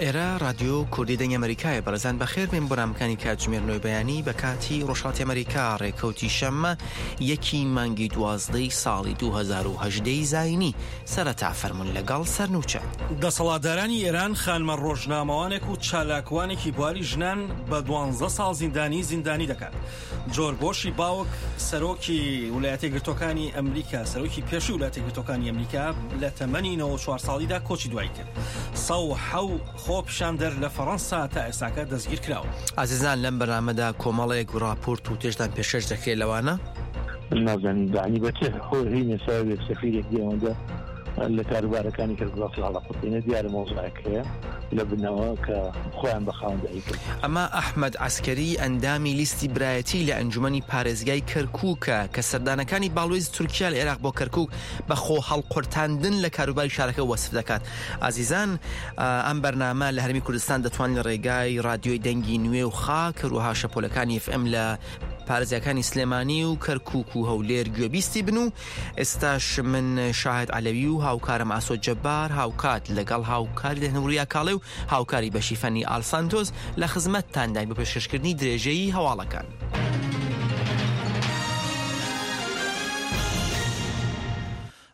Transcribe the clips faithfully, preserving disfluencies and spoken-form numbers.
ئێرە رادیۆ کوردی دەنگی ئەمریکایە. بەڕێزان، بەخێر بێن بۆ نامەکانی کاتژمێر نۆی بەیانی بە کاتی ڕۆژهەڵاتی ئەمریکا. ڕێکەوتی شەممە، یەکی مانگی دوازدەی ساڵی دوو هەزار و هەژدە زاینی. سەرەتا فەرمون لەگەڵ سەرنوچە. دەسەڵاتدارانی ئێران خانمە ڕۆژنامەوانێک و چالاکوانێکی بواری ژنان بە دوانزە ساڵ زیندانی زیندانی دەکات. جۆرج بۆشی باوک، سەرۆکی ویلایەتە یەکگرتوەکانی ئەمریکا، سەرۆکی پێشووی ویلایەتە یەکگرتوەکانی ئەمریکا، لە تەمەنی نەوە چوار ساڵیدا کۆچی دوایی کرد. سەد و حەوت خۆپیشاندەر لە فەڕەنسا تا ئێستاکە دەستگیر کراوە. ئازیزان، لەم بەرنامەدا کۆمەڵێک ڕاپۆرت و تێشتان پێشکەش دەکرێت، لەوانە نازانین دانی بە چه هۆ هینە ساوێک سەفیرێک دێوەندە لە کاروبارەکانی کە گڵاسی هەڵاقوتێنە دیارە مۆزایەک هەیە لە بنەوە کە خۆیان بە خاوەندەی کرد. ئەمە ئەحمەد عەسکەری، ئەندامی لیستی برایەتی لە ئەنجومەنی پارێزگای کەرکووکە کە سەردانەکانی باڵوێز تورکیا لە عێراق بۆ کەرکووک بە خۆ هەڵقورتاندن لە کاروباری شارەکە وەسف دەکات. ئازیزان، ئە، ئەم بەرنامە لە هەرمی کوردستان دەتوان لە ڕێگای رادیۆی دەنگی نوێ و خاک، هەروەها شەپۆلەکانی FM لە پارێزگاکانی سلێمانی و کەرکووک و هەولێر گوێبیستی بن و ئێستاش من شاهد عەلەوی و هاوکارم ئاسۆ جەبار، هاوکات لەگەڵ هاوکاری دەهنووریا کاڵێ و هاوکاری بەشی فەنی ئالسانتۆس، لە خزمەتتانداین بۆ پێشکەشکردنی درێژەی هەواڵەکان.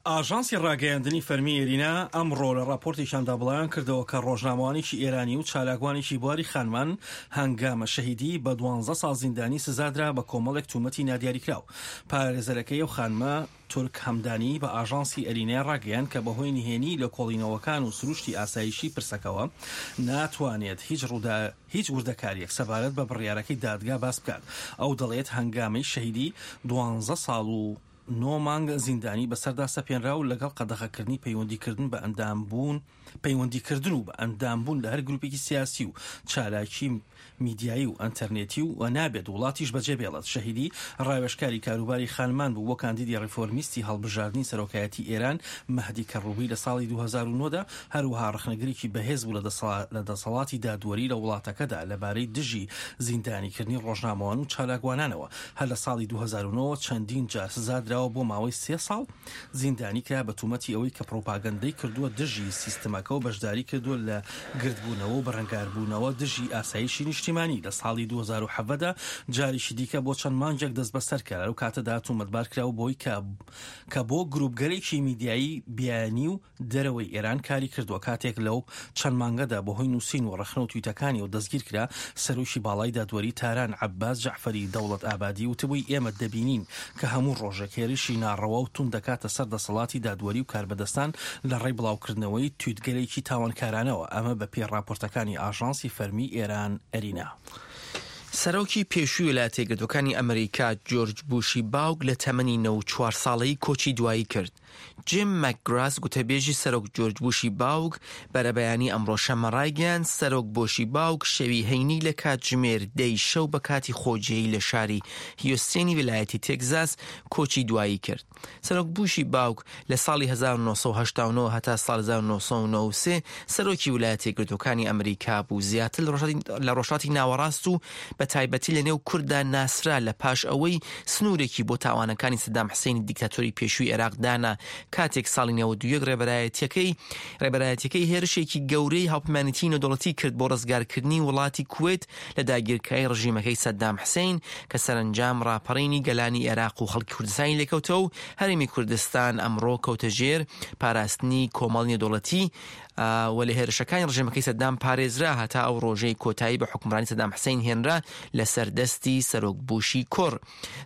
ئاژانسی ڕاگەیاندنی فەرمی ئێرینا ئەمڕۆ لە راپۆرتێکیاندا بڵاویان کردەوە کە ڕۆژنامەوانێکی ئێرانی و چالاکوانێکی بواری خانمان هەنگامە شەهیدی بە دوانزە ساڵ زیندانی سزادرا بە کۆمەڵێک تومەتی نادیاریکراو. پارێزەرەکەی ئەو خانمە تورک هەمدانی بە ئاژانسی ئەرینای ڕاگەیاند کە بەهۆی نهێنی لە کۆڵینەوەکان و سروشتی ئاسایشی پرسەکەوە ناتوانێت هیچ ڕوودا-، هیچ وردەکاریەک سەبارەت بە بڕیارەکەی دادگا باس بکات. ئەو دەڵێت هەنگامەی شەهیدی دوانزە ساڵ و نۆ مانگ زیندانی بەسەردا سەپێنرا و لەگەڵ قەدەخەکردنی پەیوەندیکردن بە ئەندامبوون، پەیوەندیکردن و بە ئەندامبوون لە هەر گروپێکی سیاسی و چالاکی میدیایی و ئەنتەرنێتی و، و نابێت وڵاتیش بەجێ بێڵێت. شەهیدی ڕاوێژکاری کاروباری خانمان بوو بۆ کاندیدی ڕیفۆرمیستی هەڵبژاردنی سەرۆکایەتی ئێران مەهدی کەڕووبی لە ساڵی دوو هەزار و نۆ دا، هەروەها ڕەخنەگرێکی بەهێز بوو لە دەسەڵا-، لە دەسەڵاتی دادوەری لە وڵاتەکەدا لەبارەی دژی زیندانیکردنی ڕۆژنامەوان و چالاکوانانەوە. هەر لە ساڵی دوو هەزار و نۆ چەندین جار سزادراوە بۆ ماوەی سێ ساڵ زیندانی کرا بە تومەتی ئەوەی کە پروپاگەندەی کردووە دژی سیستمەکە و بەشداری کردووە لە گردبوونەوە و بەرەنگاربوونەوە دژی ئاسایشی نیشتیمانی. لە ساڵی دوو هەزار و حەڤدە جاریشی دیکە بۆ چەند مانگێک دەست بەسەر کرا. لەو کاتەدا تومەتبار کرا و بۆی کە، کە بۆ گروپگەلێکی میدیایی بیانی و دەرەوەی ئێران کاری کردووە. کاتێک لەو چەند مانگەدا بەهۆی نووسین و ڕەخنە و تویتەکانی و دەستگیر کرا، سەرۆکی باڵای دادوەری تاران عەباس جەعفەری دەوڵەت ئابادی وتبووی، ئێمە دەبینین کە هەموو ڕۆژێک هێرشی ناڕەوا و توند دەکاتە سەر دەسەڵاتی دادوەری و کاربەدەستان لە ڕێی بڵاوکردنەوەی تویتگەلێکی تاوانکارانەوە. ئەمە بە پێی راپۆرتەکانی ئاژانسی فەرمی ئێران ئەرینا. سەرۆکی پێشووی ویلایەتە یەکگرتووەکانی ئەمریکا جۆرج بوشی باوک لە تەمەنی نەوە و چوار ساڵەی کۆچی دوایی کرد. جیم مەکگراس، گوتەبێژی سەرۆک جۆرج بوشی باوک، بەرەبەیانی ئەمڕۆ شەممە ڕایگەیاند، سەرۆک بۆشی باوک شەوی هەینی لە کاتژمێر دەی شەو بە کاتی خۆجێی لە شاری هیوستێنی ویلایەتی تێکزاس کۆچی دوایی کرد. سەرۆک بوشی باوک لە ساڵی هەزار و نۆ سەد و هەشتا و نۆ هەتا ساڵ هەزار و نۆ سەد و نەوە و سێ سەرۆکی ویلایەتە یەکگرتووەکانی ئەمریکا بوو. زیاتر لە ڕۆژهەڵاتی، لە ڕۆژهەڵاتی ناوەڕاست و بە تایبەتی لە نێو کوردا ناسرا، لە پاش ئەوەی سنوورێکی بۆ تاوانەکانی سەدام حسینی دیکتاتۆری پێشووی عێراق دانا. کاتێک ساڵی نەوەد و یەک ڕێبەرایەتیەکەی، ڕێبەرایەتیەکەی هێرشێکی گەورەی هاوپەیمانێتی نێودەوڵەتی کرد بۆ ڕزگارکردنی وڵاتی کوێت لە داگیرکاری ڕژیمەکەی سەدام حسین، کە سەرنجام ڕاپەڕینی گەلانی عێراق و خەڵکی کوردستانی لێکەوتەوە و هەرێمی کوردستان ئەمڕۆ کەوتە ژێر پاراستنی کۆمەڵی نێودەوڵەتی، ئا، و لە هێرشەکانی ڕژێمەکەی سەدام پارێزرا، هەتا ئەو ڕۆژەی کۆتایی بە حکومڕانی سەدام حسین هێنرا لەسەر دەستی سەرۆک بوشی کوڕ.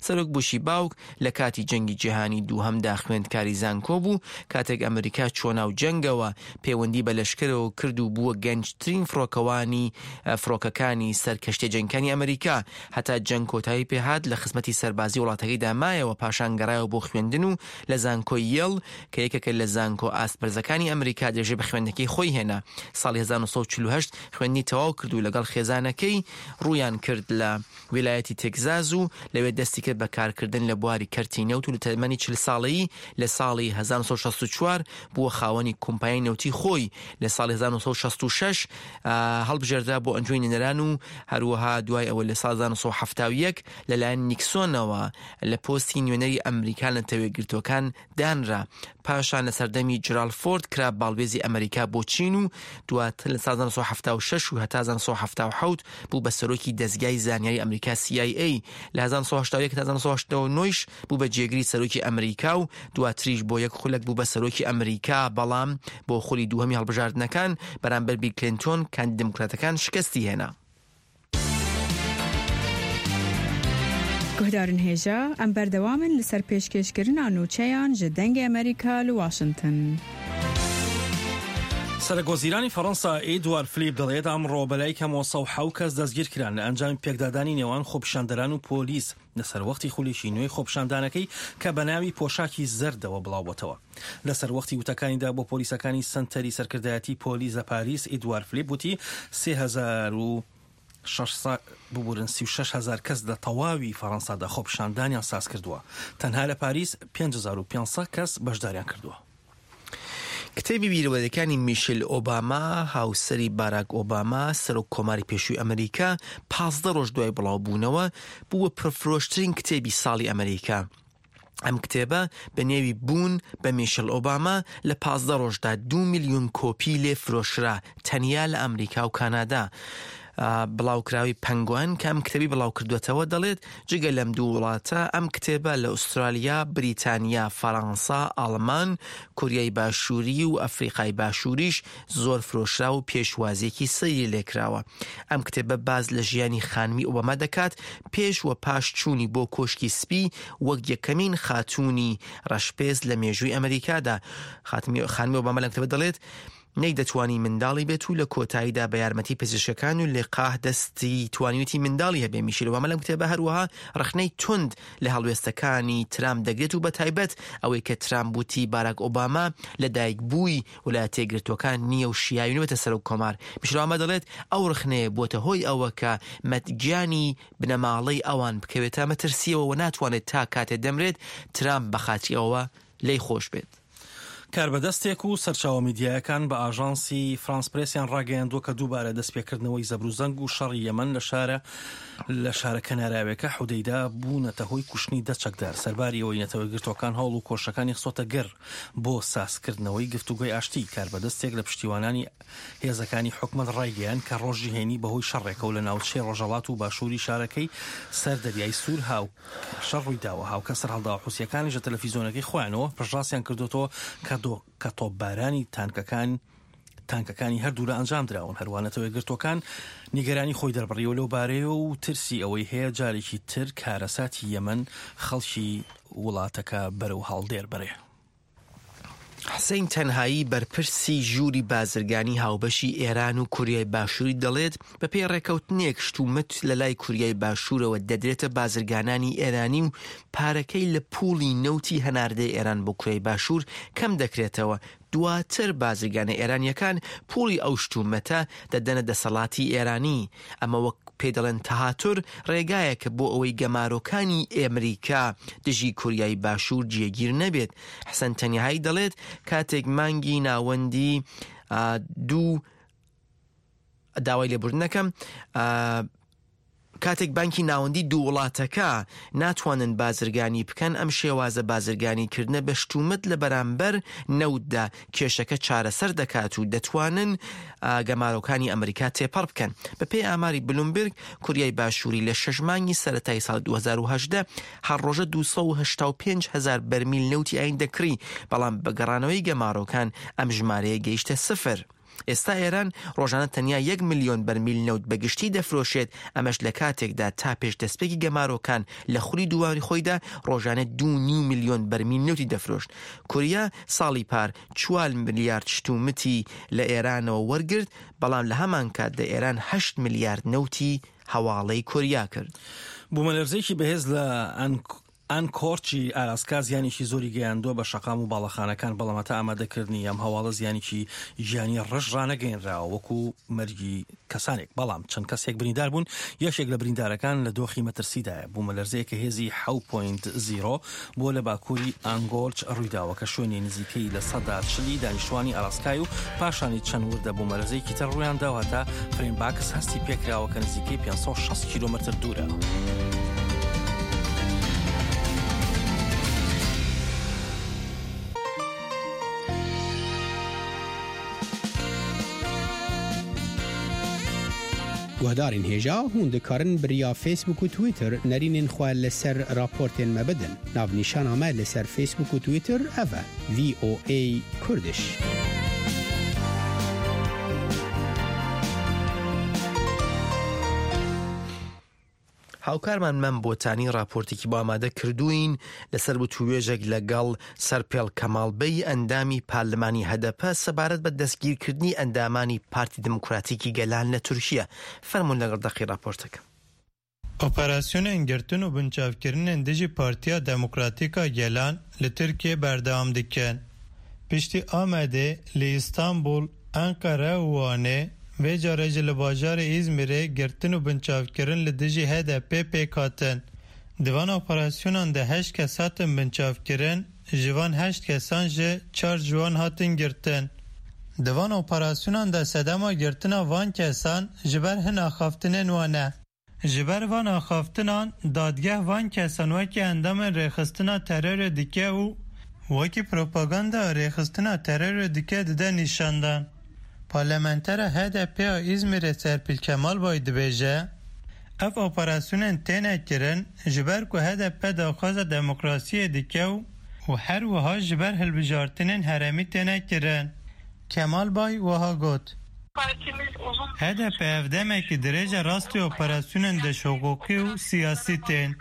سەرۆک بوشی باوک لە کاتی جەنگی جیهانی دووهەمدا خوێندکاری زانکۆ بوو. کاتێک ئەمریکا چووە ناو جەنگەوە، پەیوەندی بە لەشکرەوە کرد و بووە گەنجترین فڕۆکەوانی، ئە، فڕۆکەکانی سەر کەشتیە جەنگەکانی ئەمریکا. هەتا جەنگ کۆتایی پێهات، لە خزمەتی سەربازی وڵاتەکەیدا مایەوە، پاشان گەڕایەوە بۆ خوێندن و لە زانکۆی یێڵ، کە یەکێکە لە زانکۆ ئاست بەرزەکانی ئەمریکا، درێژەی بە خوێندنەکەی خۆی هێنا. ساڵی هەزار و نۆ سەد و چل و هەشت خوێندنی تەواو کرد و لەگەڵ خێزانەکەی ڕوویان کرد لە ویلایەتی تێکزاز و لەوێ دەستی کرد بە کارکردن لە بواری کەرتی نەوت و لە تەمەنی چل ساڵەیی لە ساڵی هەزار و نۆ سەد و شەست و چوار بووە خاوەنی کۆمپانیای نەوتی خۆی. لە ساڵی هەزار و نۆ سەد و شەست و شەش، ئا، هەڵبژێردرا بۆ ئەنجومەی نوێنەران و هەروەها دوای ئەوە لە ساڵ هەزار و نۆ سەد و حەفتا و یەک لەلایەن نیکسۆنەوە لە پۆستی نوێنەری ئەمریکا لە نەتەوە یەکگرتووەکان دانرا. پاشان لە سەردەمی جرالد فۆرد کرا باڵوێزی ئەمریکا بۆ چین و دواتر لە ساڵ هەزار و نۆ سەد و حەفتا و شەش و هەتا هەزار و نۆ سەد و حەفتا و حەوت بوو بە سەرۆکی دەزگای زانیاری ئەمریکا، سی ئای ئەی. لە هەزار و نۆ سەد و هەشتا و یەک تا هەزار و نۆ سەد و هەشتا و نۆ ش بوو بە جێگری سەرۆکی ئەمریکا و دواتریش بۆ یەک خولەک بوو بە سەرۆکی ئەمریکا، بەڵام بۆ خولی دووهەمی هەڵبژاردنەکان بەرامبەر بیل کلینتۆن، کاندید دموکراتەکان، شکستی هێنا. Guhdarên hêja, em berdewam in li ser pêşkêşkirina nûçeyan ji Dengê Amerîka li Washington. سەرۆکوەزیرانی فەڕەنسا ئێدوار فلیپ دەڵێت ئەمڕۆ بەلای کەمەوە سەد و حەوت کەس دەستگیر کران لە ئەنجامی پێکدادانی نێوان خۆپیشاندەران و پۆلیس لەسەر وەختی خولی شینۆی خۆپیشاندانەکەی کە بە ناوی پۆشاکی زەردەوە بڵاوبۆتەوە. لەسەر وەختی وتەکانیدا بۆ پۆلیسەکانی سەنتەری سەرکردایەتی پۆلیس لە پاریس، ئیدوار فلیپ وتی سێ هەزار و شەش سەد، ببورن، سی و شەش هەزار کەس لە تەواوی فەڕەنسادا خۆپیشاندانیان ساز کردووە. تەنها لە پاریس پێنج هەزار و پێنج سەد کەس بەشداریان کردووە. کتێبی بیرەوەریەکانی میشل ئۆباما، هاوسەری باراک ئۆباما، سەرۆک کۆماری پێشووی ئەمریکا، پازدە ڕۆژ دوای بڵاوبوونەوە، بووە پرفرۆشترین کتێبی ساڵی ئەمریکا. ئەم کتێبە بە نێوی بوون بە میشل ئۆباما لە پازدە ڕۆژدا دوو ملیۆن کۆپی لێ فرۆشرا، تەنیا لە ئەمریکا و کانادا. بڵاوکراوی پەنگوان کە ئەم کتێبی بڵاو کردوێتەوە دەڵێت، جگە لەم دوو وڵاتە، ئەم کتێبە لە ئوسترالیا، بریتانیا، فەڕەنسا، ئاڵمان، کوریای باشووری و ئەفریقای باشووریش زۆر فرۆشرا و پێشوازیەکی سەیری لێکراوە. ئەم کتێبە باز لە ژیانی خانمی ئۆباما دەکات، پێش و پاش چوونی بۆ کۆشکی سپی، وەک یەکەمین خاتوونی ڕەشپێست لە مێژووی ئەمریکادا. خاتمی-، خانمی ئۆباما لەم کتێبە دەڵێت، نەیدەتوانی منداڵی بێت و لە کۆتاییدا بە یارمەتی پزیشکەکان و لقاح دەستی توانیوتی منداڵی هەبێ. میشیل ئۆباما لەم کتێبە هەروەها ڕەخنەی تند لە هەڵوێستەکانی ترامپ دەگرێت و بە تایبەت ئەوەی کە ترامپ وتی باراک ئۆباما لە دایک بووی ویلایەتە یەکگرتووەکان نییە و شیاوی نوێتە سەرۆک کۆمار. میشیل ئۆباما دەڵێت ئەو ڕەخنەیە بووەتە هۆی ئەوە کە مەتگیانی بنەماڵەی ئەوان بکەوێتە مەترسیەوە و ناتوانێت تا کاتێ دەمرێت ترامپ بە خاتری ئەوە لێی خۆش بێت. کاربەدەستێک و سەرچاوە میدیایەکان بە ئاژانسی فرانس پرێسیان ڕاگەیاندووە کە دووبارە دەستپێکردنەوەی زەبروزەنگ و شەڕی یەمەن لە شارە لە شارە کەناراوێکە حودەیدا بوونەتە هۆی کوشتنی دە چەکدار. سەرباری ئەوەی نەتەوە گرتوەکان هەوڵ و کۆشەکانی خسۆتە گەر بۆ سازکردنەوەی گفتوگۆی ئاشتی، کاربەدەستێک لە پشتیوانانی هێزەکانی حکومەت ڕایگەیان کە ڕۆژی هەینی بەهۆی شەڕێکە و لە ناوچەی ڕۆژەڵات و باشووری شارەکەی سەر دەریای سوور هاو شەڕ ڕوویداوە. هاوکە سەرهەڵداوە حوسیەکانیش لە تەلەفیزیۆنەکەی خۆیانەوە پشتڕاستیان کردوتەوە کە دۆ-، کە تۆپبارانی تانکەکان، تانکەکانی هەردوو لە ئەنجام دراون. هەروە نەتەوە یەکگرتوەکان نیگەرانی خۆی دەربڕیوە لەو بارەیە و ترسی ئەوەی هەیە جارێکی تر کارەساتی یەمەن خەڵکی وڵاتەکە بەرەو هەڵدێر بەرێ. حسین تەنهایی، بەرپرسی ژووری بازرگانی هاوبەشی ئێران و کوریای باشووری، دەڵێت بە پێی ڕێکەوتنێک شتومت لە لای کوریای باشوورەوە دەدرێتە بازرگانانی ئێرانی و پارەکەی لە پوڵی نەوتی هەناردەی ئێران بۆ کوریای باشوور کەم دەکرێتەوە. دواتر بازرگانە ئێرانیەکان پوڵی ئەو شتومەتە دەدەنە دەسەڵاتی ئێرانی. ئەمە وەک پێی دەڵێن تەهاتر، ڕێگایەکە بۆ ئەوەی گەمارۆکانی ئەمریکا دژی کوریای باشوور جێگیر نەبێت. حسن تەنیهایی دەڵێت کاتێک مانگی ناوەندی، ئا، دوو داوای لێبوردنەکەم، ئا، کاتێک بانکی ناوەندی دوو وڵاتەکە ناتوانن بازرگانی بکەن، ئەم شێوازە بازرگانی کردنە بە شتومت لە بەرامبەر نەوتدا کێشەکە چارەسەر دەکات و دەتوانن، ئا، گەمارۆکانی ئەمریکا تێپەڕ بکەن. بە پێی ئاماری بلومبرگ، کوریای باشووری لە شەش مانگی سەرەتای ساڵ دوو هەزار و هەژدە هەر ڕۆژە دوو سەد و هەشتا و پێنج هەزار بەرمیل نەوتی ئایندە کڕی، بەڵام بە گەڕانەوەی گەمارۆکان ئەم ژمارەیە گەیشتە سفر. ئێستا ئێران ڕۆژانە تەنیا یەک ملیۆن بەرمیل نەوت بەگشتی دەفرۆشێت، ئەمەش لە کاتێکدا تا پێش دەستپێکی گەمارۆکان لە خولی دوواری خۆیدا ڕۆژانە دوو نیو ملیۆن بەرمیل نەوتی دەفرۆشت. کوریا ساڵی پار چوار ملیارد شتومتی لە ئێرانەوە وەرگرت، بەڵام لە هەمان کاتدا ئێران هەشت ملیارد نەوتی هەواڵەی کوریا کرد. بوومەلەرزەیەکی بەهێز لە ئەنک-، ئەنکۆرچی ئالاسکا زیانێکی زۆری گەیاندووە بە شەقام و باڵەخانەکان، بەڵام هەتا ئامادەکردنی ئەم هەواڵە زیانێکی گیانی ڕژ ڕانەگەیەنراوە وەکو مەرگی کەسانێک، بەڵام چەند کەسێک بریندار بوون. یەکێک لە بریندارەکان لە دۆخی مەترسیدایە. بوومەلەرزەیەکە هێزی حەوت پۆینت زیرۆ بۆ لە باکووری ئانگۆرچ ڕوویداوە کە شوێنی نزیکەی لە سەدا چلی دانیشتوانی ئالاسکای و پاشانی چەند وردە بوومەلەرزەیەکی تر ڕوویان داوە هەتا فرێنباکس هەستی پێکراوە کە نزیکەی پێنج سەد و شەست کیلۆمەتر دوورە. Guhdarên hêja, hûn dikarin bi riya Facebook û Twitter nerînên xwe li ser raportên me bidin. Navnîşana me li ser Facebook û Twitter ev e, V O A Kurdish. هاوکارمان مەم بۆتانی راپۆرتێکی بۆ ئامادە کردووین لەسەر وتووێژێک لەگەڵ سەرپێڵ کەماڵ بەی، ئەندامی پارلمانی هەدەپە، سەبارەت بە دەستگیرکردنی ئەندامانی پارتی دیموکراتیکی گەلان لە تورکیا. فەرموون لەگەڵ دەقی راپۆرتەکە. Operasyonên girtin û binçavkirinên dijî Partiya Demokratîk a Gelan li Tirkiyê berdewam dikin. Piştî Amedê, li Îstanbul, Enqere û Wanê, vê carê jî li bajarê Îzmîrê girtin û binçavkirin li dijî H D P pêk hatin. Di van operasyonan de heşt kes hatin binçavkirin, ji van heşt kesan jî çar ji wan hatin girtin. Di van operasyonan de sedema girtina van kesan ji ber hin axaftinên wan e. Ji ber van axaftinan, dadgeh van kesan wekî endamên rêxistina terorê dike û wekî propaganda rêxistina terorê dike dide nîşandan. Parlamentera H D P a Îzmîrê Serpîl Kemalbay dibêje, ev operasyonên têne kirin, ji ber ku H D P daxwaza demokrasiyê dike û, û her wiha ji ber hilbijartinên herêmî têne kirin. Kemalbay wiha got, H D P ev demekî dirêj e rastî operasyonên dişhiqûqî û siyasî tên.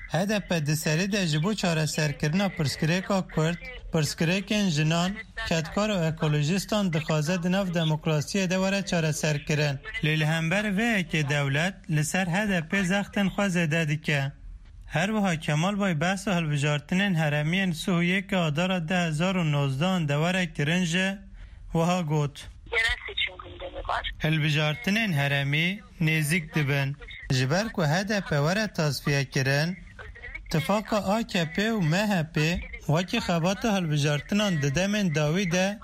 H D P di serî de ji bo çareserkirina pirsgirêka Kurd, pirsgirêkên jinan, kedkar û ekolojistan dixwaze di nav demokrasiyê de were çareserkirin. Lê li hember vê yekê dewlet li ser H D P zextên xwe zêde dike. Her wiha Kemal Bay behsa hilbijartinên herêmiyên sih û yekê Adara du hezar û nozdeh de were kirin jî wiha got, Yerel seçim gündemi var. Hilbijartinên herêmî nêzîk dibin. Ji ber ku H D P were tasfiye kirin, tifaka A K P û M H P wekî xebata hilbijartinan di demên dawî de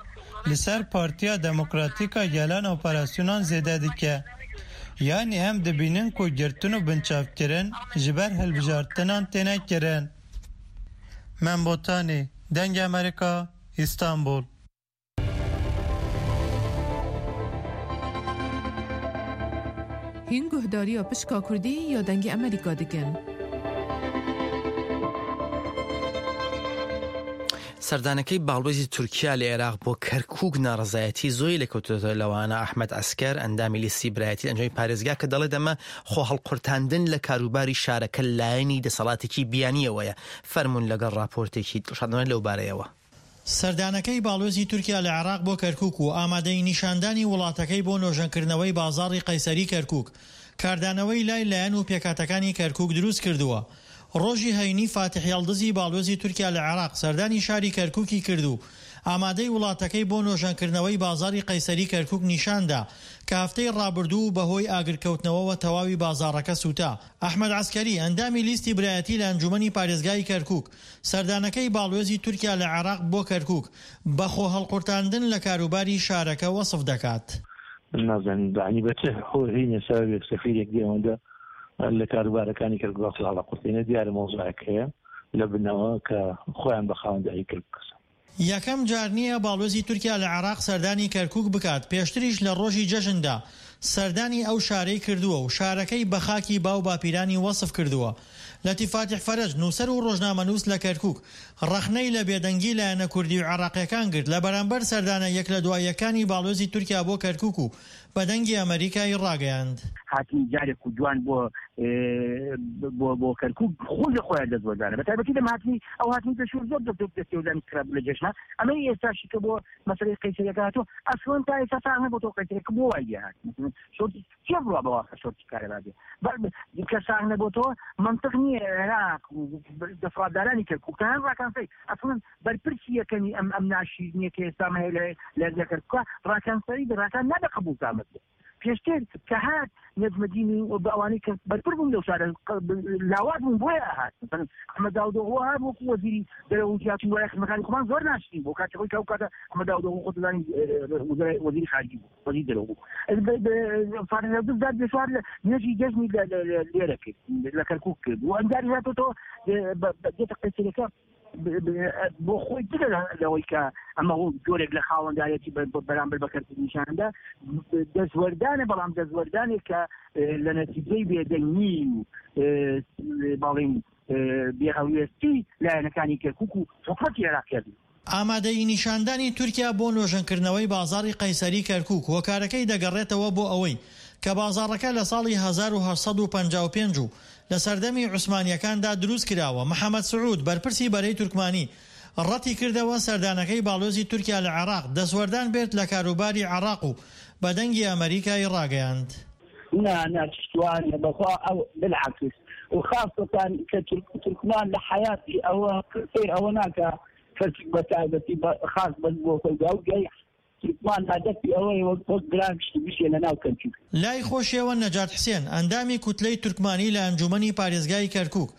li ser Partiya Demokratîk a Gelan operasyonan zêde dike. Yanî em dibînin ku girtin û binçavkirin ji ber hilbijartinan têne kirin. Mem Botanî, Dengê Amerîka, Îstanbul. Hîn guhdariya pişka Kurdî ya Dengê Amerîka dikin. سەردانەکەی باڵوێزی تورکیا لە عێراق بۆ کەرکووک ناڕەزایەتی زۆری لێکەوتووەتەوە، لەوانە ئەحمەد عەسکەر، ئەندامی لیستی برایەتی لەنجۆی پارێزگا، کە دەڵێت ئەمە خۆ هەڵقورتاندن لە کاروباری شارەکە لایەنی دەسەڵاتێکی بیانییەوەیە. فەرموون لەگەڵ راپۆرتێکی دڵشادانە لەو بارەیەوە. سەردانەکەی باڵوێزی تورکیا لە عێراق بۆ کەرکووک و ئامادەی نیشاندانی وڵاتەکەی بۆ نۆژەنکردنەوەی بازاڕی قەیسەری کەرکووک، کاردانەوەی لای لایەن و پێکاتەکانی کەرکووک دروست کردووە. ڕۆژی هەینی فاتیح یەڵدزی باڵوێزی تورکیا لە عێراق سەردانی شاری کەرکووکی کرد و ئامادەی وڵاتەکەی بۆ نۆژەنکردنەوەی بازاڕی قەیسەری کەرکووک نیشاندا کە هەفتەی ڕابردوو بەهۆی ئاگرکەوتنەوەوە تەواوی بازاڕەکە سووتا. ئەحمەد عەسکەری، ئەندامی لیستی برایەتی لە ئەنجومەنی پارێزگای کەرکووک، سەردانەکەی باڵوێزی تورکیا لە عێراق بۆ کەرکووک بە خۆ هەڵقورتاندن لە کاروباری شارەکە وەسف دەکات. من نازانم، یعنی، بە چه هۆ-، هۆی سەبەبێک سەفیرێک دێ ئەوەندە لە کاروبارەکانی کەرکووک خۆ هەڵقورتێنێ؟ دیارە مۆزایەک هەیە لە بنەوە کە خۆیان بە خاوەنداری کەرکووک کەسن. یەکەم جار نییە باڵوێزی تورکیا لە عێراق سەردانی کەرکووک بکات. پێشتریش لە ڕۆژی جەژندا سەردانی ئەو شارەی کردووە و شارەکەی بە خاکی باو باپیرانی وەسف کردووە. لەتیف فاتیح فەرەج، نووسەر و ڕۆژنامەنووس لە کەرکووک، ڕەخنەی لە بێدەنگی لایەنە کوردی و عێراقیەکان گرت لە بەرامبەر سەردانە یەک لە دوای یەکانی باڵوێزی تورکیا بۆ کەرکووک و بە دەنگی ئەمریکای ڕاگەیاند. هاتنی جارێک و جوان بۆ، ئێ، بۆ، بۆ کەرکووک خۆی لە خۆیان دەست وەردانە. بە تایبەتی لەم هاتنی، ئەو هاتنی پێشوو زۆر دەست، دەست وەردانی خراپ لە جەژنە. ئەمەی ئێستاشی کە بۆ مەسەلەی قەیسەریەکە هاتووە. ئەسڵەن تا ئێستا ساغ نەبووەوە قەیسەریەکە بۆ وای لێ هات. مەسەلەن شۆرتی چێ بڕوا بە واقع شۆرتی کارەبا بێ. بە، بە، کە ساغ نەبووەوە، منطق نییە عێراق و دەسەڵاتدارانی کەرکووک، تەنها ڕاکانسەری. ئەسڵەن بەرپرسی یەکەمی ئەم، ئەم ناشیرنیە کە ئێستا مە هەیە لە، لە، لە کەرکووکە، ڕاکانسەری بە ڕاکان نابێ قبوڵ کامت بێ. پێشتر کە هات نەجمەدینی و بە ئەوانەی کە بەرپر بوون لەو شارە، ق-، ب-، لاوات بوون، بۆیە هات. مەسەلەن ئەحمەد داودۆغڵو هات وەکو وەزیری دەرەوە و جیاتی وایە خزمەکانی خۆمان زۆر ناشرین بۆ کاتێک خۆی کە ئەو کاتە ئەحمەد داودۆغڵو خۆ دەزانی، ئێ، وەزیری، وەزیری خارجی بوو، وەزیری دەرەوە بوو. ئێ، بە، بە، فارس عەبدوز دار بێشوار لە نوێژی جەژنی لە، لە، لە، لێرە کرد، لە کەرکووک کرد. و ئەنجاری هاتۆتەوە، ئێ، بە، بە، دێتە قەیسەریەکە. ب- ب- بۆ خۆی جگە لە- لەوەی کە ئەمە جۆرێک لە خاوەندارێتی بە- بە- بەرامبەر بە کەرتی نیشاندا دەستوەردانە، بەڵام دەستوەردانێک کە لە نەتیجەی بێدەنگی و باڵین بێهەڵوێستی لایەنەکانی کەرکووک و حکومەتی عێراق کردن. ئامادەیی نیشاندانی تورکیا بۆ نۆژەنکردنەوەی بازاڕی قەیسەری کەرکووک هۆکارەکەی دەگەڕێتەوە بۆ ئەوەی کە بازاڕەکە لە ساڵی هەزار و هەشت سەد و پەنجا و پێنج و لە سەردەمی عوسمانیەکاندا دروست کراوە. محەممەد سعود، بەرپرسی بەرەی تورکمانی، ڕەتی کردەوە سەردانەکەی باڵۆزی تورکیا لە عێراق دەستوەردان بێت لە کاروباری عێراق و بە دەنگی ئەمریکای ڕاگەیاند. نا، نا، چشتوانە بەخوا ئەو بالعکس. و خاصەتان کە تورک-، تورکمان لە حیاتی ئەوە فێر ئەوە ناکە کەچک بە تایبەتی بە خاص بەس بۆ خۆی دا و گەی تورکمان هەدەفی ئەوەی وەک، وەک گران گشتی بشێ لە ناو کەرکووک. لای خۆشیەوە نەجات حسێن، ئەندامی کوتلەی تورکمانی لە ئەنجومەنی پارێزگای کەرکووک،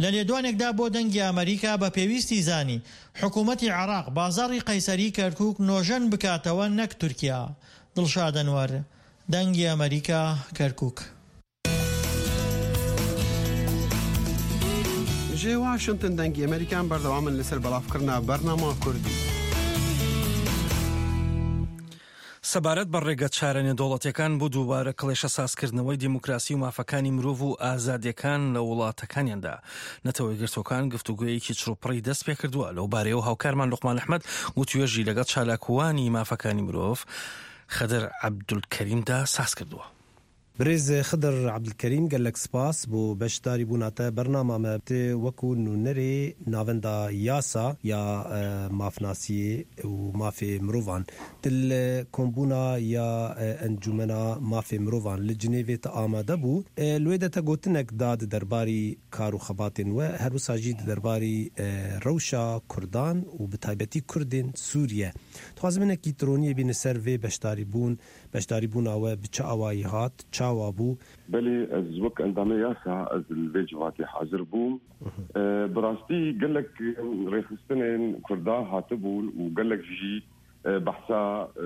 لە لێدوانێکدا بۆ دەنگی ئەمریکا بە پێویستی زانی حکوومەتی عێراق بازاڕی قەیسەری کەرکووک نۆژەن بکاتەوە نەک تورکیا. دڵشاد ئەنوەر، دەنگی ئەمریکا، کەرکووک. Ji Washington dengê Amerîkan berdewam in li ser belavkirina bernama Kurdî. سەبارەت بە ڕێگە چارە نێودەوڵەتیەکان بۆ دووبارە کڵێشە سازکردنەوەی دیموکراسی و مافەکانی مرۆڤ و ئازادیەکان لە وڵاتەکانیاندا، نەتەوە یەکگرتوەکان گفتوگویەکی چڕوپڕی دەست پێ کردووە. لەو بارەیەوە هاوکارمان لوقمان ئەحمەد وتوێژی لەگەڵ چالاکوانی مافەکانی مرۆڤ خدر عەبدولکەریمدا ساز کردووە. Birêz Xidir Ebdulkerîm, gelek spas bo beşdarîbûna te bernama me. Tu wekû nûnerê Navenda Yasa ya, e, Mafnasiyê û Mafê Mirovan, tu li kombûna ya, e, Encûmena Mafê Mirovan li Cinêvê tu amade bû. E, li wê de te gotinek da di derbarî kar û xebatên we, her wisa jî di derbarî, e, rewşa Kurdan û bi taybetî Kurdên Sûriye. Dixwazim hinekî tironiyê bîne ser vê beşdarîbûn. Beşdarîbûna we bi çi awayî hat? Çawa bû? Belê, ez wek endamê Yasa, ez li vê civatê hazir bûm. Mhm. E, bi rastî gelek rêxistinên Kurda hatibûn û gelek jî, e, behsa, e,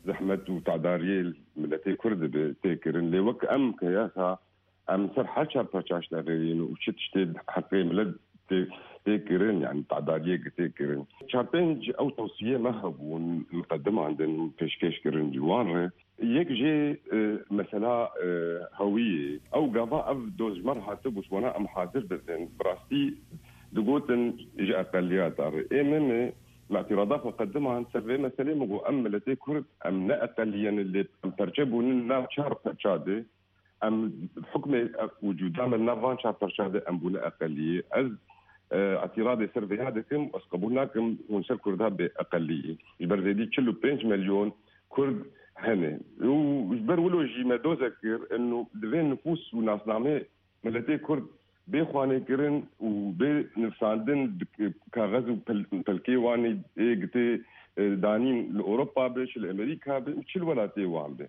zehmet û tedariyê miletê Kurd dibe tê kirin. Lê wek em ke Yasa, em ser her çar parça ji te re yên û çi tiştê heqê milet tê, tê kirin, yani tedariyê ki tê kirin. Çar pênc ew tewsiyê me hebûn, miqedimandin, pêşkêş kirin ji wan re. Yek jê, e, mesela, e, hewiyê. Ew gava ev doz ji me re hatibû, ji wana em hazir dibin. Bi rastî digotin ji eqeliyata re. Ê min, me îtirada xwe qediman ser vê meselê, min got, em miletê Kurd, em ne eqeliye ne, lê em perçe bûnin nav çar parça de. Em hukmê wicûda me nav van çar parça de em bûne eqeliyê. Ez, e, îtiradê ser vêya dikim, ez qebûl nakim hûn ser Kurda bê eqeliyê. Ji ber zêdî çil û pênc milyon Kurd hene. Û ji ber wilo jî me doze kir, eno divê nifûs û nasnamê miletê Kurd bê xwanêkirin û bê nivsandin, bi kaxez û pel-, pelkê wan ê gitê, e, danîn li Ewropa be, çi li Amerîka be û çi li welatê wan be.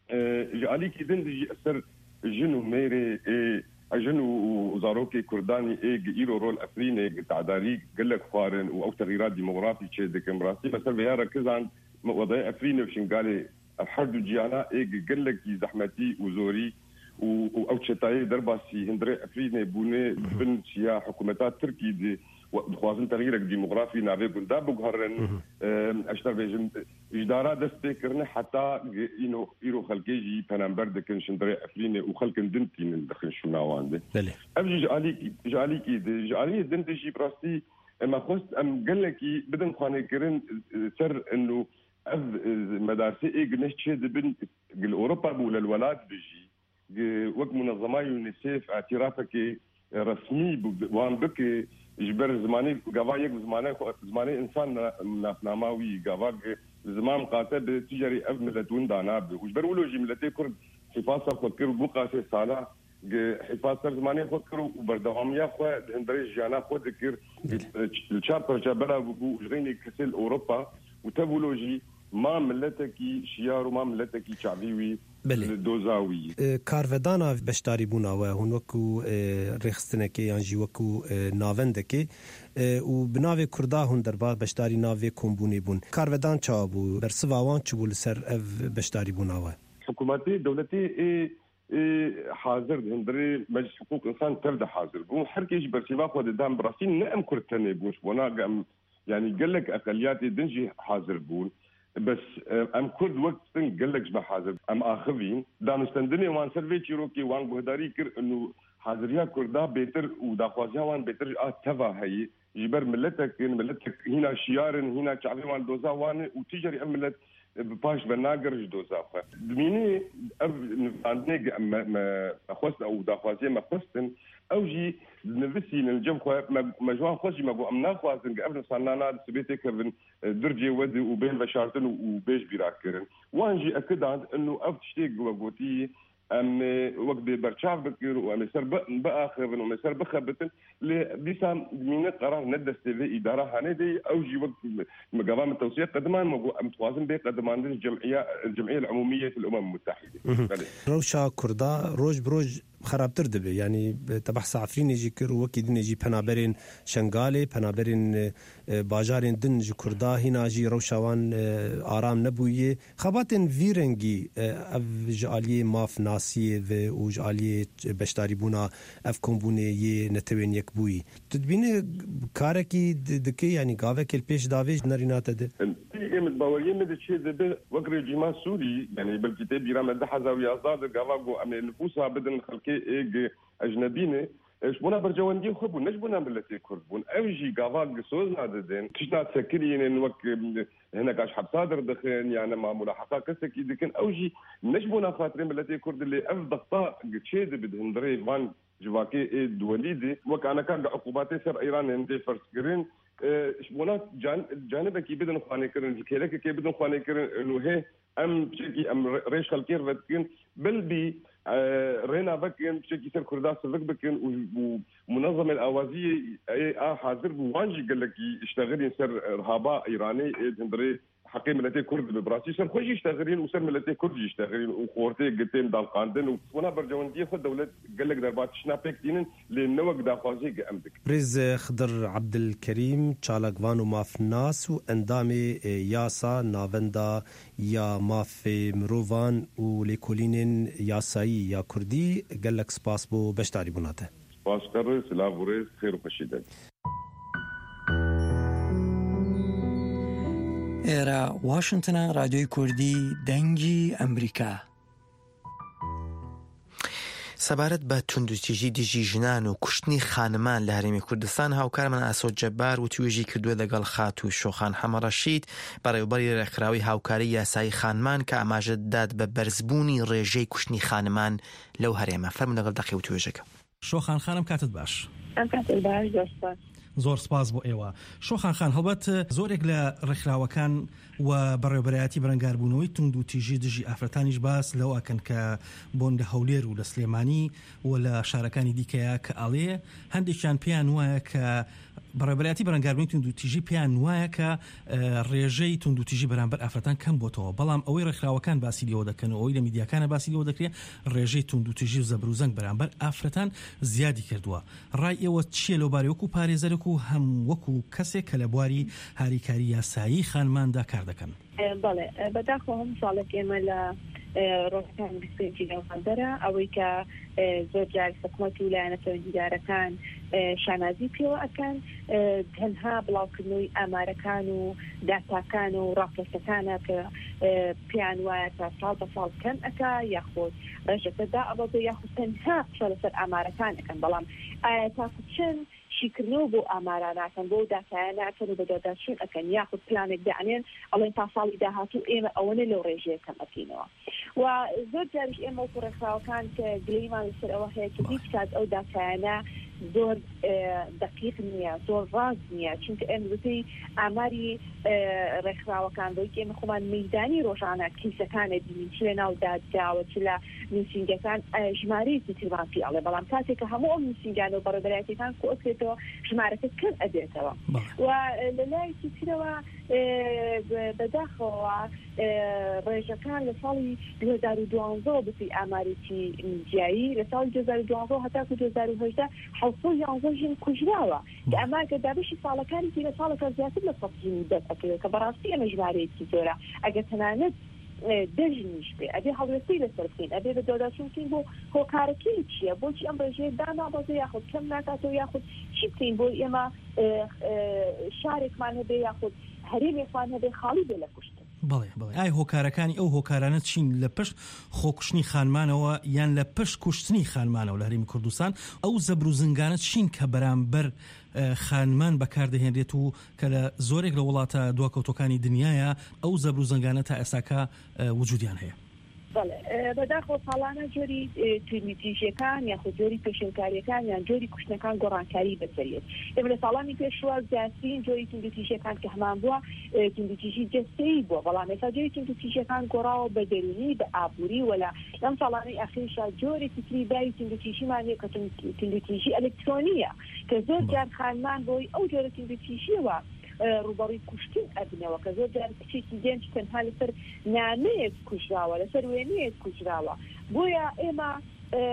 E, ji alîkî din de jî ser jin û mêrê ê, jin û, û zarokê Kurdanî ê gi îro rol Efrînê gi tedarî gelek xwarin û ew texîra demografî çê dikin. Rastî me ser vêya re kizand, me odayê Efrînê û Şingalê ev her du ciyana ê gi gelekî zehmetî û zorî û, û ew çetayê derbasî hundirê Efrînê bûne, mhm, bin çiya hikûmeta Tirkî di, we dixwazin texîrek demografî navê gunda biguherin. Mhm. E, ez ji te bêjim, Ji dara dest pê kirine heta gi-, îno-, îro xelkê jî penember dikin şindirê Efrînê û xelkin din tînin dixin şûna wan de. Belê. Ev jî ji alîkî, ji alîkî de, ji aliyê din de jî bi rastî, e, me xwest em gelekî bidin xwanêkirin, e, ser ino ev, e, medarsê ê gineh çê dibin, gi li Ewropa bû, li welat bi jî. Gi-, wek munezema UNICEF îtirafekê resmî bi-, wan bike, ji ber zimanê, gava yek bi zimanê xwe, zimanê însan na-, nasnama wî, gava gi-, ziman miqate bi, tu carî ev milet winda nabe. Û ji ber wilo jî miletê Kurd hîfasa xwe kir û bi qasê sala gi-, hîfas ser zimanê xwe kir û berdewamiya xwe di hundirê jiyana xwe dikir. Belê. Li çar parça belav bû û ji xeynê kesê li Ewropa û tev wilo jî ma miletekî şiyar û ma miletekî çavî wî Belê. Li doza wî. E, karvedana beşdarîbûna we, hûn wekû, e, rêxistinekê yan jî wekû, e, navendekê, e, û bi navê Kurda hûn derbar beşdarî navê kombûnê bûn. Karvedan çawa bû? Bersiva wan çi bû li ser ev beşdarîbûna we? Hikûmetê, dewletê ê ê hazir di hundirê Meclis Hiqûq Însan tev de hazir bûn. Her kê ji bersiva xwe didan, bi rastî ne em Kurd tenê bûn. Ji bona em, yanî gelek eqeliyatê din jî hazir bûn. Bes, e, em Kurd wek sting gelek ji me hazir bûn. Em axivîn. Danûstendinê wan ser vê çîrokê wan guhdarî kir û haziriya Kurda bêtir û daxwaziya wan bêtir ji a teva heye. Ji ber miletek in, miletek hîna şiyar in, hîna çavê wan doza wan e û tu carî ev milet, e, bi paş ve nagere ji doza xwe. Dimînê ev nivîsandinê ge-, me, me, me xwest û daxwaziyê me xwestin, ew jî nivisînin li cem xwe, me, me ji wan xwest jî me got, em naxwazin ge ev nivîsandina di sibê têkevin, e, durcê we de û bên veşartin û, û bêj bîra kirin. Wan jî ekidan inu ev tiştê ge we gotî, em ê wek bê berçav bikin û em ê ser bi-, biaxivin û em ê ser bixebitin. Lê dîsa mîne qerar ne destê vê îdara hanê de, ew jî wek min gava min tewsiye qediman, me got, em dixwazin bê qedimandin ji cem'iya, Cem'iye Umumiyet el Umem Mutehide. Mhm. Belê. Rewşa Kurda roj bi roj xerabtir dibe. Yanî te behsa Efrînê jî kir û wekî dinê jî penaberên Şengalê, penaberên, e, e, bajarên din ji Kurda hîna jî rewşa wan, e, aram nebûye. Xebatên vî rengî, e, ev ji aliyê mafnasiyê ve û ji aliyê beşdarîbûna ev kombûnê yê Netewên Yekbûyî. Tu dibînî karekî di-, dike, yanî gavekê li pêş davê ji nerîna te de? Ê min baweriyê min diçê dibe wek rejîma Sûrî, yanî belkî tê bîra me du hezar û yazdeh de gava got em ê nifûsa bidin xelkê ê ge ecnebî ne. E, ji bona berjewendiyên xwe bûn, ne ji bona miletê Kurd bûn. Ew jî gava soz nadidin. Tişta sekinînin wek, em, hineka ji hepsa derdixin, yan nema mulaheqa kesekî dikin. Ew jî ne ji bona xatirê miletê Kurd, lê ev dexta çê dibe di hundirê van civakê ê duwelî de. Wek aneka ge uqubatê ser Îranê hindê ferz kirin, e, ji bona can-, canibekî bidin xwanêkirin, ji kêlekekê bidin xwanêkirin, û hê em çekî em re-, rêj xelkê re vedikin, bilbî, e, rêna vekin, çekî ser Kurda sivik bikin û, û munezemên awaziyê ê a hazir bû, wan jî gelekî iştexilîn ser, e, rihaba Îranê ê di hundirê heqê miletê Kurd dibe. Bi rastî ser xwe jî iştexilîn û ser miletê Kurd jî iştexilîn û xortê gitên dalqandin û bona berjewendiyê xwe dewlet gelek derbas tiştna pêk tînin, lê ne wek daxwaziyê ge em dikin. Birêz Xidir Ebdilkerîm, çalakvan û mafnas û endamê, e, Yasa Navenda ya Mafê Mirovan û Lêkolînên Yasayî ya Kurdî, gelek spas bo beşdarîbûna te. Spas, Qerê, silav û rêz, xêr û xweşî de. ئێرە واشنگتنە، ڕادیۆی کوردی دەنگی ئەمریکا. سەبارەت بە توندوتیژی دژی ژنان و کوشتنی خانمان لە هەرێمی کوردستان، هاوکارمان ئاسۆ جەبار وتوێژی کردووە لەگەڵ خاتوو شۆخان حەمە ڕەشید، بەڕێوەبەری ڕێکخراوی هاوکاری یاسایی خانمان، کە ئاماژە دەدات بە بەرزبوونی ڕێژەی کوشتنی خانمان لەو هەرێمە. فەرموو لەگەڵ دەقی وتوێژەکە. شۆخان خانم، کاتت باش. ئەم کاتت باش، زۆر سپاس. زۆر سپاس بۆ ئێوە. شۆخان خان، هەڵبەت زۆرێک لە ڕێکخراوەکان و بەڕێوەبەرایەتی بەرەنگاربوونەوەی توند و تیژی دژی ئافرەتانیش باس لەوە ئەکەن کە بۆن لە هەولێر و لە سلێمانی و لە شارەکانی دیکەیە کە ئەڵێ هەندێکیان پێیان وایە کە بەڕێوەبەرایەتی بەرەنگاربوونی توند و تیژی پێیان وایە کە، ئە، ڕێژەی توند و تیژی بەرامبەر ئافرەتان کەم بۆتەوە. بەڵام ئەوەی ڕێکخراوەکان باسی لێوە دەکەن و ئەوەی لە میدیاکانە باسی لێوە دەکرێت، ڕێژەی توند و تیژی و زەبر و زەنگ بەرامبەر ئافرەتان زیادی کردووە. ڕای ئێوە چییە لەو بارەی وەکو پارێزەرێک و هەم وەکو کەسێک کە لە بواری هاریکاری یاسایی خانماندا کار دەکەن؟ ئێ، بەڵێ، ئێ، بەداخەوە هەموو ساڵێک ئێمە لە، ئێ، ڕۆژەکانی بیست و پێنجی نۆڤەمبەرە، ئەوەی کە، ئێ، زۆر جار حکومەت و لایەنە پەیوەندیدارەکان، ئێ، شانازی پێوە ئەکەن، ئێ، تەنها بڵاوکردنەوەی ئامارەکان و داتاکان و ڕاپۆرتەکانە کە، ئێ، پێیان وایە تا ساڵ بە ساڵ کەم ئەکا یاخود ڕێژەکە دائەبەزێ یاخود تەنها قسە لەسەر ئامارەکان ئەکەن. بەڵام ئایا تاکو چەند شیکردنەوە بۆ ئامارە ناکەن، بۆ داتایە ناکەن و بە دواداچوون ئەکەن، یاخود پلانێک دانێن، ئەڵێن تا ساڵی داهاتوو ئێمە ئەوەنە لەو ڕێژەیە کەم ئەکەینەوە. و زۆر جاریش ئێمە وەکو ڕێکخراوەکان کە گلەیمان لەسەر ئەوە هەیە کە هیچ کات ئەو داتایانە زۆر، ئێ، دەقیق نییە، زۆر ڕاست نییە، چونکە ئێمە بەپێی ئاماری، ئێ، ڕێکخراوەکان، بۆی کە ئێمە خۆمان مەیدانی ڕۆژانە کەیسەکانە بینین، چ لە ناو دادگاوە، چ لە نووسینگەکان، ئێ، ژمارەیەکی ترمان پێ ئەڵێ. بەڵام کاتێک کە هەموو ئەم نووسینگانە و بەڕێوەبەرایەتیەکان کۆکرێتەوە، ژمارەکە کەم ئەبێتەوە. بەڵێ. و لە لایەکی ترەوە، ئێ، بە-، بەداخەوە، ئێ، ڕێژەکان لە ساڵی دوو هەزار و دوازدە بەپێی ئامارێکی میدیایی، لە ساڵی دوو هەزار و دوازدە هەتاکو دوو هەزار و هەژدە، حەوت سەد و یازدە ژن کوژراوە. کە ئەمە گەر دابەشی ساڵەکانی تری لە ساڵێکا زیاتر لە سەد ژنی دەست ئەکەوێت، کە بەڕاستی ئەمە ژمارەیەکی زۆرە. ئەگەر تەنانەت دەژنیش بێ، ئەبێ هەڵوێستەی لەسەر بکەین، ئەبێ بە دواداچوون بکەین بۆ هۆکارەکەی چییە، بۆچی ئەم ڕێژەیە دانابەزێ یاخود کەم ناکاتەوە، یاخود چی بکەین بۆ ئێمە، ئێ، ئێ، شارێکمان هەبێ یاخود هەرێمێکمان هەبێ خاڵی بێ لە کوشتن. بەڵێ، بەڵێ. ئای هۆکارەکانی، ئەو هۆکارانە چین لە پشت خۆکوشتنی خانمانەوە یان لە پشت کوشتنی خانمانەوە لە هەرێمی کوردستان؟ ئەو زەبر و زنگانە چین کە بەرامبەر، ئە، خانمان بەکاردەهێنرێت و کە لە زۆرێک لە وڵاتە دواکەوتەکانی دنیاە ئەو زەبر و زنگانە تا ئێساکە، ئە، وجودیان هەیە؟ بەڵێ، ئە، بەداخەوە ساڵانە جۆری، ئە، توندوتیژیەکان یاخود جۆری پێشێلکاریەکان یان جۆری کوشتنەکان گۆڕانکاری بەسەرێت. ئێمە لە ساڵانی پێشوە زیاترین جۆری توندوتیژیەکان کە هەمان بووە، ئە، توندوتیژی جەستەیی بووە، بەڵام ئێستا جۆری توندوتیژیەکان گۆڕاوە بە دەرونی، بە ئابووری، وەلا لەم ساڵانەی ئەخیرشا جۆرێکی تری باری توندوتیژیمان هەیە کە تون-، توندوتیژی ئەلکترۆنیە، کە زۆر بەڵێ. جار خانمان بۆی ئەو جۆرە توندوتیژیەوە، ئە، ڕوبەڕووی کوشتن ئەبنەوە، کە زۆر جار کچێکی گەنج تەنها لەسەر نامەیەک کوژراوە، لەسەر وێنەیەک کوژراوە. بۆیە ئێمە، ئە،